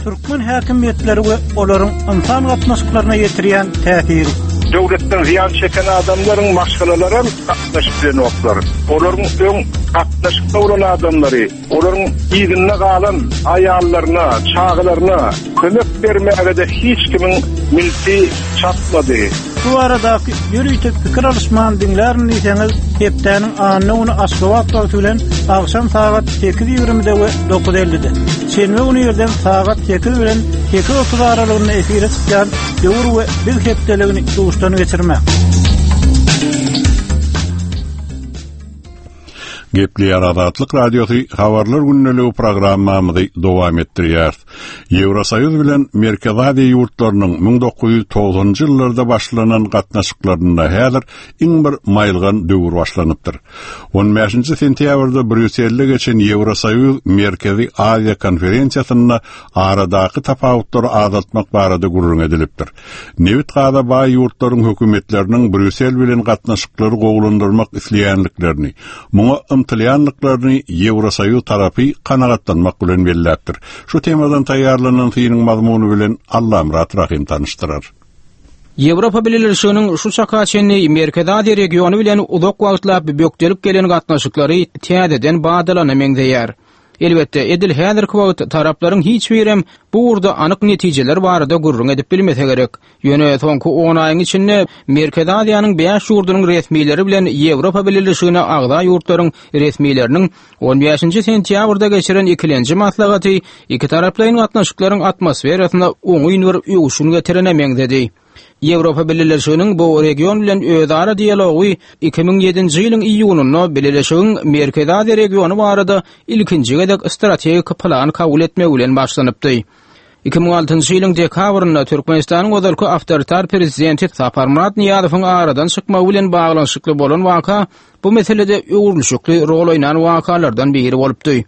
Türkmen häkimiýetleri we olaryň insan gatnaşyklaryna ýetirýän täsiri. Döwletden ziýan çeken adamlaryň maşgalalary gatnaşyp bilenoklar. Olaryň öň gatnaşykda bolan adamlary, olaryň ýygynda galan aýallaryna, çagalaryna kömek bermäge de hiç kimiň milti çatmady. Bu baradaky ýörite pikir alyşman diňlärin diýseňiz, hepdäniň anna güni Aşgabat wagty bilen agşam sagat sekiz ýigrimide we dokuz ellide. Şenbe güni irden sagat sekiz bilen sekiz otuz aralygynda efire çykýan Döwür we Biz hepdeligini duşdan geçirmek. Gepleýär Azatlyk Radiosy habarlar gündeligi programmamyzy dowam etdirýär. Ýewrosoýuz bilen Merkezi Aziýa ýurtlarynyň müň dokuz ýüz togsanynjy ýyllarda başlanan gatnaşyklarynda häzir iň bir maýylgan döwür başlanypdyr. On bäşinji sentýabrda Brýusselde geçen Ýewrosoýuz Merkezi Aziýa konferensiýasynda aradaky tapawutlary azaltmak barada gürrüň edilipdir. Nebit gaza baý ýurtlaryň hökümetleriniň Brýussel bilen gatnaşyklary gowulandyrmak isleýänliklerini, muňa ymtylýanlyklaryny Ýewrosoýuz tarapy kanagatlanmak bilen belläpdir. Şu temadan taýýarlanan synyň mazmuny bilen Allamyrat Rahim tanyşdyrar. Ýewropa Bileleşiginiň şu çaka çenli Merkezi Aziýa regiony bilen uzak wagtlap bökdelip gelen gatnaşyklary täzeden badalana meňzeýär. Elbetde, edil häzirki wagt taraplaryň hiç birem bu ugurda anyk netijeler barada gürrüň edip bilmese gerek. Ýöne soňky on aýyň içinde Merkezi Aziýanyň bäş ýurdunyň resmileri bilen Ýewropa Bileleşigine agza ýurtlaryň resmileriniň on bäşinji sentýabrda geçiren ikilenji maslahaty iki taraplaýyn gatnaşyklaryň atmosferasyna oňyn bir öwüşgin getirene meňzedi. Ýewropa Bileleşiginiň bu region bilen özara dialogy iki müň ýedinji ýylyň iýunynda Bileleşigiň Merkezi Aziýa regiony barada ilkinji gezek strategik plan kabul etmegi bilen başlanypdy. Iki müň altynjy ýylyň dekabrynda Türkmenistanyň ozalky awtoritar prezidenti Saparmyrat Nyýazowyň aradan çykmagy bilen baglanyşykly bolan waka bu meselede öwrülişikli rol oýnan wakalardan biri bolupdy.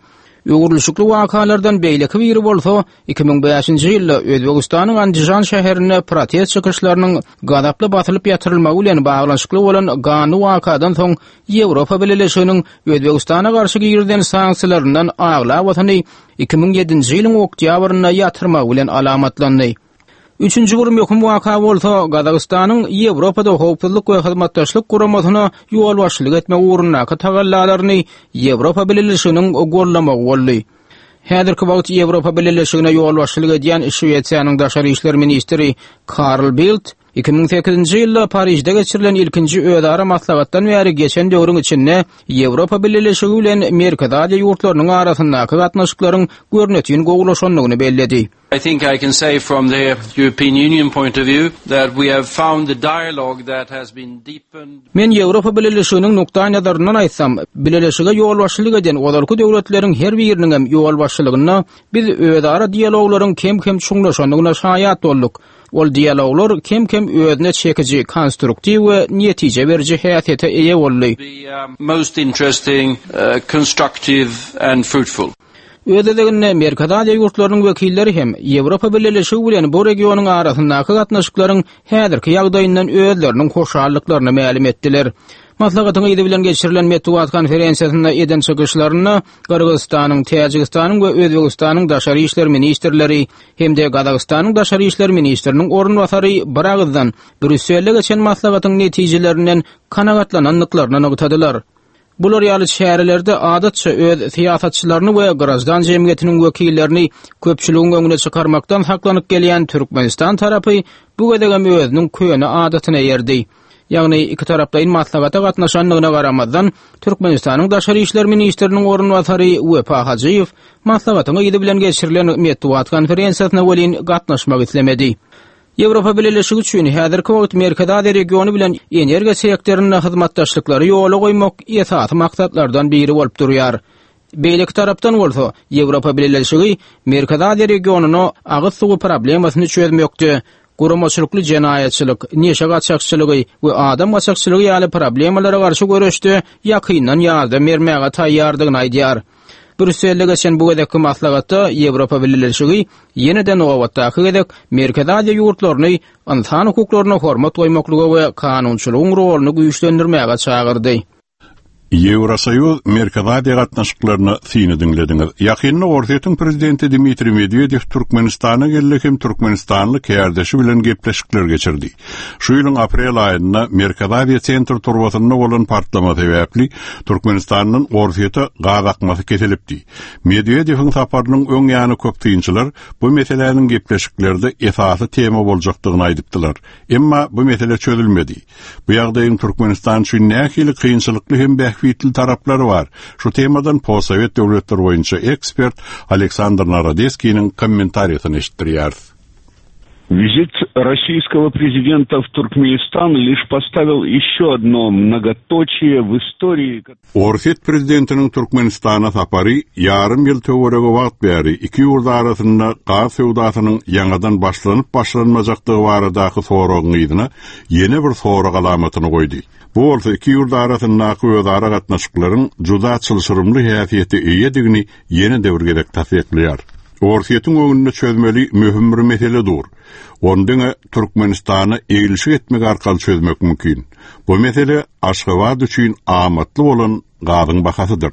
Öwrülişikli wakalardan beýleki biri bolsa iki müň bäşinji ýylda Özbegistanyň Andijan şäherinde protest çykyşlarynyň gazaply basylyp ýatyrylmagy bilen baglanyşykly bolan ganly wakadan soň Ýewropa Bileleşiginiň Özbegistana garşy girizilen sanksiýalaryndan aglabasyny iki müň ýedinji ýylyň oktýabrynda ýatyrmagy bilen alamatlandy. Üçünji bir möhüm waka bolsa Gazagystanyň Ýewropada howpsuzlyk we hyzmatdaşlyk guramasyna ýolbaşçylyk etmek ugrundaky tagallalaryny Ýewropa Bileleşiginiň gollamagy boldy. Häzirki wagt Ýewropa Bileleşigine ýolbaşçylyk edýän Şwesiýanyň daşary işler ministri Karl Bildt iki müň sekizinji ýylda Parižde geçirilen ilkinji özara maslahatdan bäri geçen döwrüň içinde Ýewropa Bileleşigi bilen Merkezi Aziýa ýurtlarynyň arasyndaky gatnaşyklaryň görnetin gowulaşandygyny belledi. I think I can say from the European Union point of view that we have found the dialogue that has been deepened. Men Ýewropa Bileleşiginiň nukdaýnazaryndan aýtsam, Bileleşige ýolbaşçylyk eden ozalky döwletleriň her biriniň hem ýolbaşçylygynda biz özara dialoglaryň kem-kem çuňlaşandygyna şaýat bolduk. Ol dialoglar kem-kem özüne çekiji, konstruktiw we netije beriji häsiýete eýe boldy. Most interesting, constructive and fruitful. Öz gezeginde Merkezi Aziýa ýurtlarynyň wekilleri hem Ýewropa Bileleşigi bilen bu regionyň arasyndaky gatnaşyklaryň häzirki ýagdaýyndan özleriniň hoşallyklaryny mälim etdiler. Maslahatyň yzy bilen geçirilen metbugat konferensiýasynda eden çykyşlarynda Gyrgyzystanyň, Täjigistanyň we Özbegistanyň daşary işler ministrleri hem-de Gazagystanyň daşary işler ministriniň orunbasary bir agyzdan Brýusselde geçen maslahatyň netijelerinden kanagatlanandyklaryny nygtadylar. Bular ýaly çärelerde adatça öz syýasatçylaryny we grajdan jemgyýetiniň wekillerini köpçüligiň öňüne çykarmakdan saklanyp gelýän Türkmenistan tarapy bu gezegem özüniň köne adatyna eýerdi. Ýagny iki taraplaýyn maslahata gatnaşandygyna garamazdan Türkmenistanyň daşary işler ministriniň orunbasary Wepa Hajyýew maslahatyň yzy bilen geçirilen metbugat konferensiýasyna welin gatnaşmak islemedi. Ýewropa Bileleşigi üçin häzirki wagt Merkezi Aziýa regiony bilen energiýa sektorynda hyzmatdaşlyklary ýola goýmak esasy maksatlardan biri bolup durýar. Beýleki tarapdan bolsa Ýewropa Bileleşigi Merkezi Aziýa regionyna agyz suwy problemasyny çözmekde, guramaçylykly jenaýatçylyk, neşe gaçakçylygy we adam gaçakçylygy ýaly problemalara garşy göreşde ýakyndan ýardam bermäge taýýardygyny aýdýar. Brýusselde geçen bu gezekki maslahatda Ýewropa Bileleşigi ýene-de nobatdaky gezek Merkezi Aziýa ýurtlaryny ynsan hukuklaryna hormat goýmaklyga we kanunçylygyň roluny güýçlendirmäge çagyrdy. Ýewrosoýuz Merkezi Aziýa gatnaşyklaryna syny diňlediňiz. Ýakynda Orsýetiň prezidenti Dmitriý Medwedew Türkmenistana geldi hem Türkmenistanly kärdeşi bilen gepleşikler geçirdi. Şu ýylyň aprel aýynda Merkezi Aziýa sentr turbasynda bolan partlama sebäpli Türkmenistandan Orsýete gaz akmasy kesilipdi. Medwedewiň saparynyň öň ýany köp synçylar bu meseläniň gepleşiklerde esasy tema boljakdygyny aýdypdylar. Emma bu mesele çözülmedi. Bu ýagdaýyň Türkmenistan üçin nähili kynçylykly hem bähbitli taraplary bar. Şu temadan postsowet döwletleri boýunça ekspert Aleksandr Narodeskiniň kommentariýasyny eşitdirýäris. Визит российского президента в Туркменистан лишь поставил еще одно многоточие в истории. Orsýet prezidentiniň Türkmenistana sapary ýarym ýyl töweregi wagt bäri iki ýurt arasynda gaz söwdasynyň ýaňadan başlanyp başlanmajakdygy baradaky soragyň yzyna ýene bir sorag alamatyny goýdy. Bu bolsa iki ýurt arasyndaky özara gatnaşyklaryň juda çylşyrymly häsiýete eýedigini ýene-de bir gezek tassyklaýar. Orsýetiň öňünde çözmeli möhüm bir mesele dur. Ony diňe Türkmenistana eglişik etmek arkaly çözmek mümkin. Bu mesele Aşgabat üçin amatly bolan gazyň bahasydyr.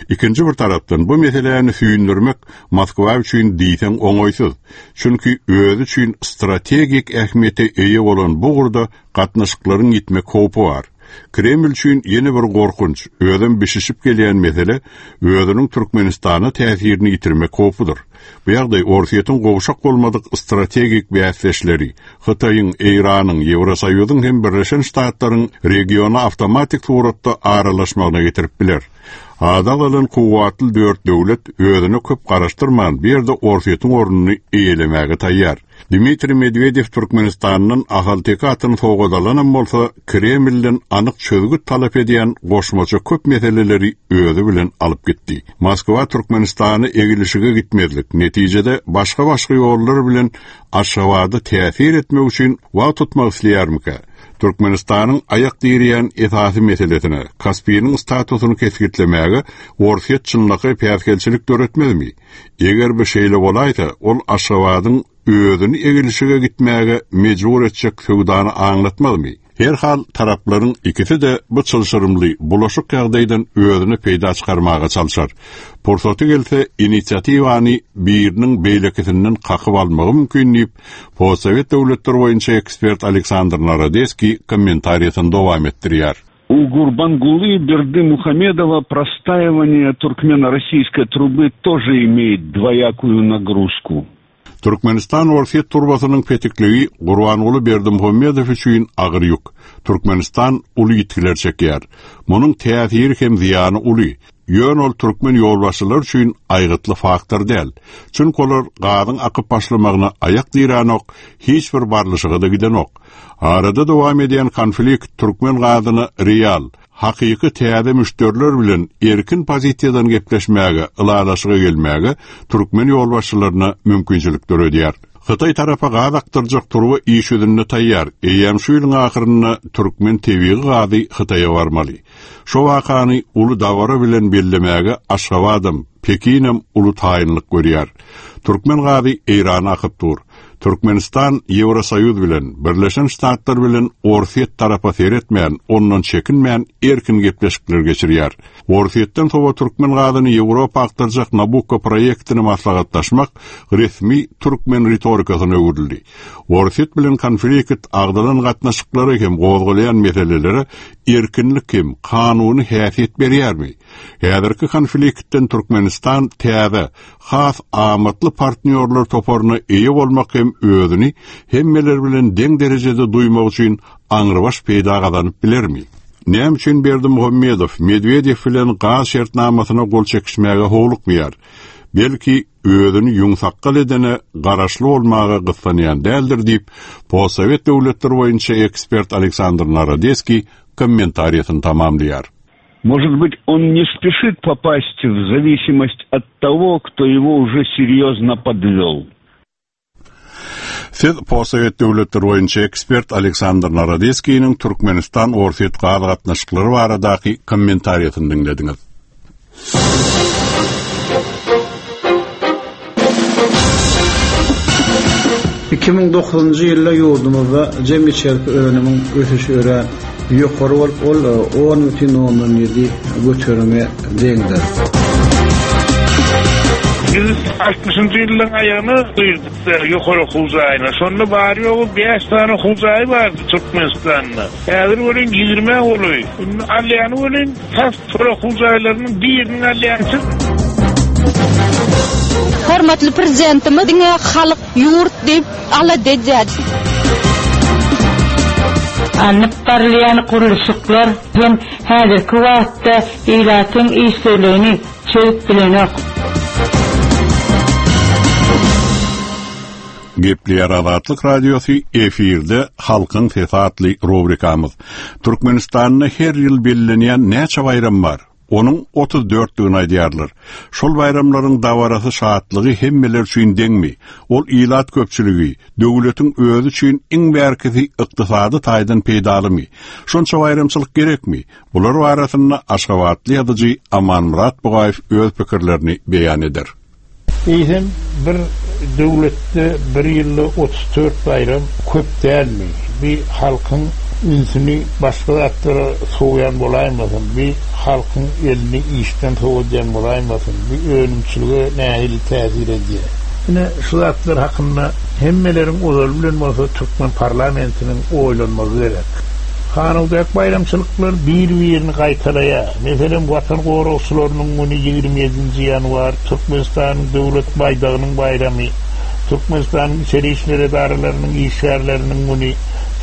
Ikinji bir tarapdan bu meseläni süýndürmek Moskwa üçin diýseň oňaýsyz. Çünki özi üçin strategik ähmiýete eýe bolan bu ugurda gatnaşyklaryň ýitmek howpy bar. Kreml üçin ýene bir gorkunç, özem bişişip gelýän mesele özüniň Türkmenistana täsirini ýitirmek howpudyr. Bu ýagdaý Orsýetiň gowşak bolmadyk strategik bäsdeşleri, Hytaýyň, Eýranyň, Ýewrosoýuzyň hem Birleşen Ştatlaryň regiona awtomatik suratda aralaşmagyna getirip biler. Ady agzalan kuwwatly dört döwlet özüne köp garaşdyrman bir ýerde Orsýetiň ornuny eýelemäge taýýar. Dmitriý Medwedew Türkmenistandan Ahalteke atyny sowgat alanam bolsa, Kremlden anyk çözgüt talap edýän goşmaça köp meseleleri özi bilen alyp gitdi. Moskwa Türkmenistany egilişige gitmezlik, netijede başga-başga ýollar bilen Aşgabada täsir etmek üçin wagt tutmak isleýärmikä? Türkmenistanyň aýak direýän esasy meselesine, Kaspiniň statusyny kesgitlemäge Orsýet çynlakaý päsgelçilik döretmezmi? Eger bu şeýle bolaýsa, ol Aşgabadyň özüni egilişige gitmäge mejbur etjek söwdany aňlatmazmy? Her hal taraplaryň ikisi-de bu çylşyrymly bulaşyk ýagdaýdan özüne peýda çykarmaga çalşar. Pursaty gelse inisiatiwany biriniň beýlekisinden kakyp almagy mümkin diýip, postsowet döwletleri boýunça ekspert Aleksandr Narodeskiý kommentariýasyny dowam etdirýär. У Гурбангулы Бердымухамедова простаивание туркмено-российской трубы тоже имеет двоякую нагрузку. Türkmenistan Orsýet turbasynyň petikligi Gurbanguly Berdimuhamedow üçin agyr ýük. Türkmenistan uly ýitgiler çekýär. Munuň täsiri hem zyýany uly. Ýöne ol türkmen ýolbaşçylary üçin aýgytly faktor däl. Çünki olar gazyň akyp başlamagyna aýak diränok, hiç bir barlyşyga-da gidenok. Arada dowam edýän konflikt türkmen gazyna real, hakyky täze müşderiler bilen erkin pozisiýadan gepleşmäge, ylalaşyga gelmäge türkmen ýolbaşçylaryna mümkinçilik döredýär. Hytaý tarapa gaz akdyrjak turba iş ýüzünde taýýar. Eýýäm şu ýylyň ahyrynda türkmen tebigy gazy Hytaýa barmaly. Şu wakany uly dabara bilen bellemäge Aşgabadam, Pekinem uly taýynlyk görýär. Türkmen gazy Eýrana akyp dur. Türkmenistan Ýewrosoýuz bilen, Birleşen Ştatlar bilen Orsýet tarapa seretmän, ondan çekinmän erkin gepleşikler geçirýär. Orsýetden sowa türkmen gazyny Ýewropa akdyrjak Nabucco proýektini maslahatlaşmak resmi türkmen ritorikasyna öwrüldi. Orsýet bilen konflikt agdalan gatnaşyklary hem gozgalaýan meselelere erkinlik hem kanuny häsiýet berýärmi? Häzirki konfliktden Türkmenistan täze, has amatly partnýorlar toparyna eýe bolmak hem özüni hemmeler bilen deň derejede duýmak üçin aňrybaş peýda gazanyp bilermi? Näme üçin Berdimuhamedow Medwedew bilen gaz şertnamasyna gol çekişmäge howlukmaýar? Belki özüni ýüň edene garaşly bolmaga gyssanýan däldir diýip, postsowet döwletleri boýunça ekspert Aleksandr Narodeskiý kommentariýasyny tamamlaýar. Может быть, он не спешит попасть в зависимость от того, кто его уже серьезно подвел. Siz postsowet döwletleri boýunça ekspert Aleksandr Narodeskiniň Türkmenistan Orsýet gaz gatnaşyklary baradaky kommentariýasyny diňlediňiz. Iki müň dokuzynjy ýylda ýurdumyzda jem içerki önümiň ösüşi örän ýokary bolup, ol on bütin ondan ýedi göterime deňdir. Biz altmyşynjy ýyllaryň aýagyna girdik ýokary okuw jaýyna. Şonda bary-ýogy bäş sany okuw jaýy bardy Türkmenistanda. Häzir welin ýigrimi golaý. Indi alýany welin tas şol okuw jaýlarynyň birini alýançy. Hormatly Prezidentimiz diňe halk, ýurt diýip alada edýär. Alnyp barylýan gurluşyklar hem häzirki wagtda ilatyň işsizligini çözüp bilenok. Gepleýär Azatlyk Radiosy efirde Halkyň Sesi atly rubrikamyz. Türkmenistanda her ýyl bellenýän näçe baýram bar? Onuň otuz dörtdigini aýdýarlar. Şol baýramlaryň dabarasy şatlygy hemmeler üçin deňmi? Ol ilat köpçüligi, döwletiň özi üçin iň bärkisi ykdysady taýdan peýdalymy? Şonça baýramçylyk gerekmi? Bular barasynda Aşgabatly ýazyjy Amanmyrat Bugaýew öz pikirlerini beýan eder. Eýsem bir döwletde bir ýylda otuz dört baýram köp dälmi? Bir halkyň ünsüni başga zatlara sowýan bolaýmasyn, bir halkyň elini işden sowadýan bolaýmasyn, bir önümçilige nähili täsir edýär? Ine şu zatlar hakynda hemmeleriň ozaly bilen bolsa Türkmen parlamentiniň oýlanmagy gerek. Hanawdak baýramçylyklar bir-birini gaýtalaýar. Meselem, Watan goragçylarynyň güni ýigrimi ýedinji ýanwar, Türkmenistanyň döwlet baýdagynyň baýramy, Türkmenistanyň içeri işler edaralarynyň işgärleriniň güni,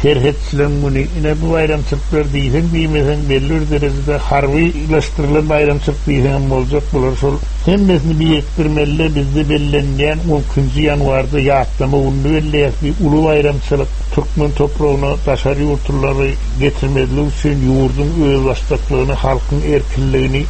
serhetçileriň güni. Ine bu baýramçylyklar diýseň diýmeseň belli bir derejede harbylaşdyrylan baýramçylyk diýseň hem boljak bular. Şol hemmesini birikdirmeli, bizde bellenýän on ikinji ýanwarda ýatlama gününi belleýäs. Bir uly baýramçylyk Türkmen topragyna daşary ýurtlulary getirmezlik üçin ýurduň özbaşdaklygyny, halkyň erkinligini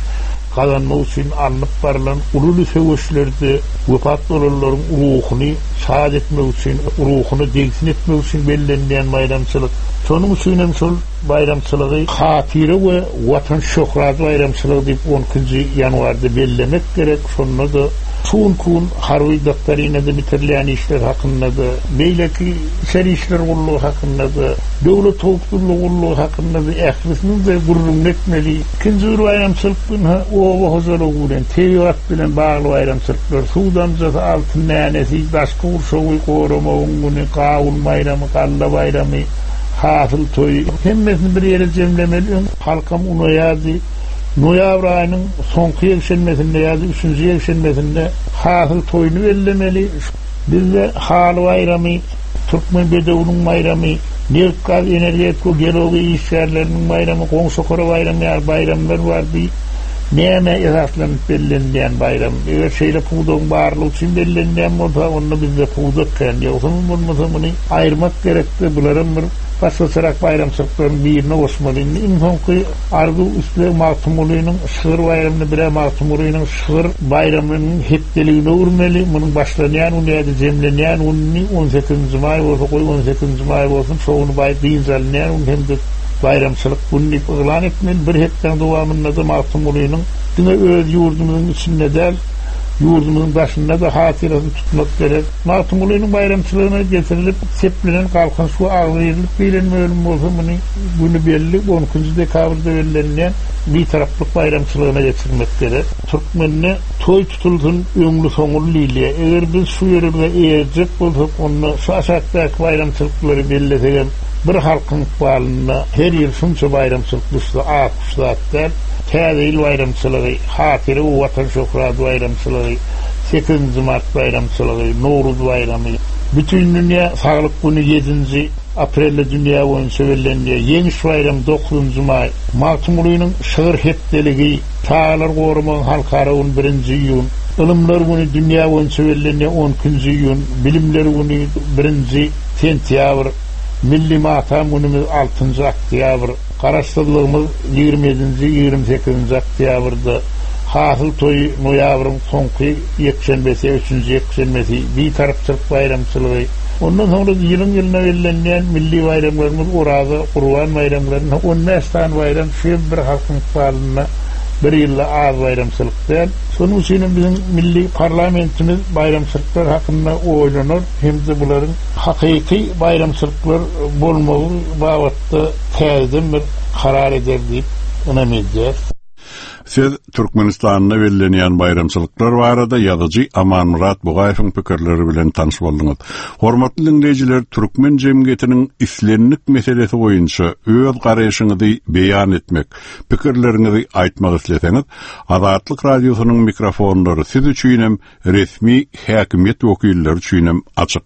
gazanmak üçin alnyp barylan ululy söweşlerde wepat bolanlaryň ruhuny şad etmek üçin, ruhuny degsin etmek üçin bellenýän baýramçylyk. Şonuň üçin hem şol baýramçylygy hatyra we watan şöhrat baýramçylygy diýip on ikinji ýanwarda bellemek gerek. Şonda da şu gün harby doktrinada bitirilýän işler hakynda da, beýleki içeri işler gullugy hakynda da, döwlet howpsuzlygy gullugy hakynda da ählisini de gürrüň etmeli. Ikinji bir baýramçylyk günü oba hojalygy bilen, tebigat bilen bagly baýramçylyklar, suw damjasy, altyn nänesi, daşky gurşawy goramagyň günü, gawun baýramy, galla baýramy, hasyl toýy, hemmesini bir ýere jemlemeli. Öň halkam unaýardy. Noýabr aýynyň soňky ýekşenbesinde ýa-da üçünji ýekşenbesinde hasyl toýuny bellemeli. Bizde haly baýramy, Türkmen bedewiniň baýramy, neft, gaz, energetika, geologiýa işgärleriniň baýramy, goňşokara baýramy ýaly baýramlar bar. Bir näme esaslanyp bellenilýän baýram? Eger şeýle pudagyň barlygy üçin bellenilýän bolsa, onda bizde pudak kän. Ýogsa bolmasa muny aýyrmak gerekdi. Bularam bir başgaçarak baýramçylyklaryň birine goşmaly. Indi iň soňky arzuw isleg Magtymgulynyň şygyr baýramyny bire Magtymgulynyň şygyr baýramynyň hepdeligini öwürmeli. Munuň başlanýan güni ýa-da jemlenýän gününi on sekizinji maý bolsa goý on sekizinji maý bolsun, şoňuny baý dynç alynýan gün hem-de baýramçylyk gün diýip yglan etmeli. Bir hepdäň dowamynda da Magtymgulynyň diňe öz ýurdumyzyň içinde däl, ýurdumyzyň daşynda da hatyrasyny tutmak gerek. Magtymgulynyň baýramçylygyna getirilip seplenen Galkynyş we agzybirlik diýlen bölüm bolsa muny günü belli on ikinji dekabrda bellenýän Bitaraplyk baýramçylygyna geçirmek gerek. Türkmende toý tutulsun öňlü soňul diýilýär. Eger biz şu ýerine eýerjek bolsak, onda şu aşakdaky baýramçylyklary bellesegem bir halkyň ykbalynda her ýyl şunça baýramçylyk düşse az zat däl. Täze ýyl baýramçylygy, hatyra we watan şöhrat baýramçylygy, sekizinji mart baýramçylygy, Nowruz baýramy, bütün dünýä saglyk günü ýedinji aprelde dünýä boýunça bellenýär. Ýeňiş baýramy dokuzynjy maý, Magtymgulynyň şygyr hepdeligi, Çagalar goramagyň halkara günü birinji iýun, Ylymlar günü dünýä boýunça bellenýär on ikinji iýun, Bilimler günü birinji sentýabr, Milli matam günümüz altynjy oktýabr, Garaşsyzlygymyz ýigrimi ýedinji, ýigrimi sekizinji oktýabrda, hasyl toýy noýabryň soňky ýekşenbesi, üçünji ýekşenbesi, Bitarapçylyk baýramçylygy. Ondan soňra ýylyň ýylyna bellenýän milli baýramlarymyz Oraza, Gurban baýramlaryny on bäş sany baýram şu ýyl bir halkyň ykbalynda bir ýylda az baýramçylyk däl. Şonuň üçin hem biziň milli parlamentimiz baýramçylyklar hakynda oýlanar hem-de bularyň hakyky baýramçylyklar bolmagy babatda täzeden bir karar eder diýip ynam edýär. Siz Türkmenistanda bellenýän baýramçylyklar barada ýazyjy Amanmyrat Bugaýewiň pikirleri bilen tanyş bolduňyz. Hormatly diňleýjiler, türkmen jemgyýetiniň islendik meselesi boýunça öz garaýşyňyzy beýan etmek, pikirleriňizi aýtmak isleseňiz, Azatlyk radiosynyň mikrofonlary siz üçin hem resmi häkimiýet wekilleri üçin hem açyk.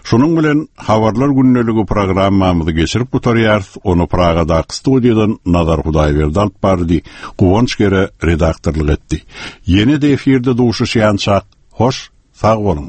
Şunuň bilen Habarlar gündeligi programmamyzy geçirip gutarýarys. Ony Pragadaky studiýadan Nazar Hudaýberdi alyp bardy, Guwanç Gere redaktorlyk etdi. Ýene-de efirde duşuşýançak, hoş, sag boluň.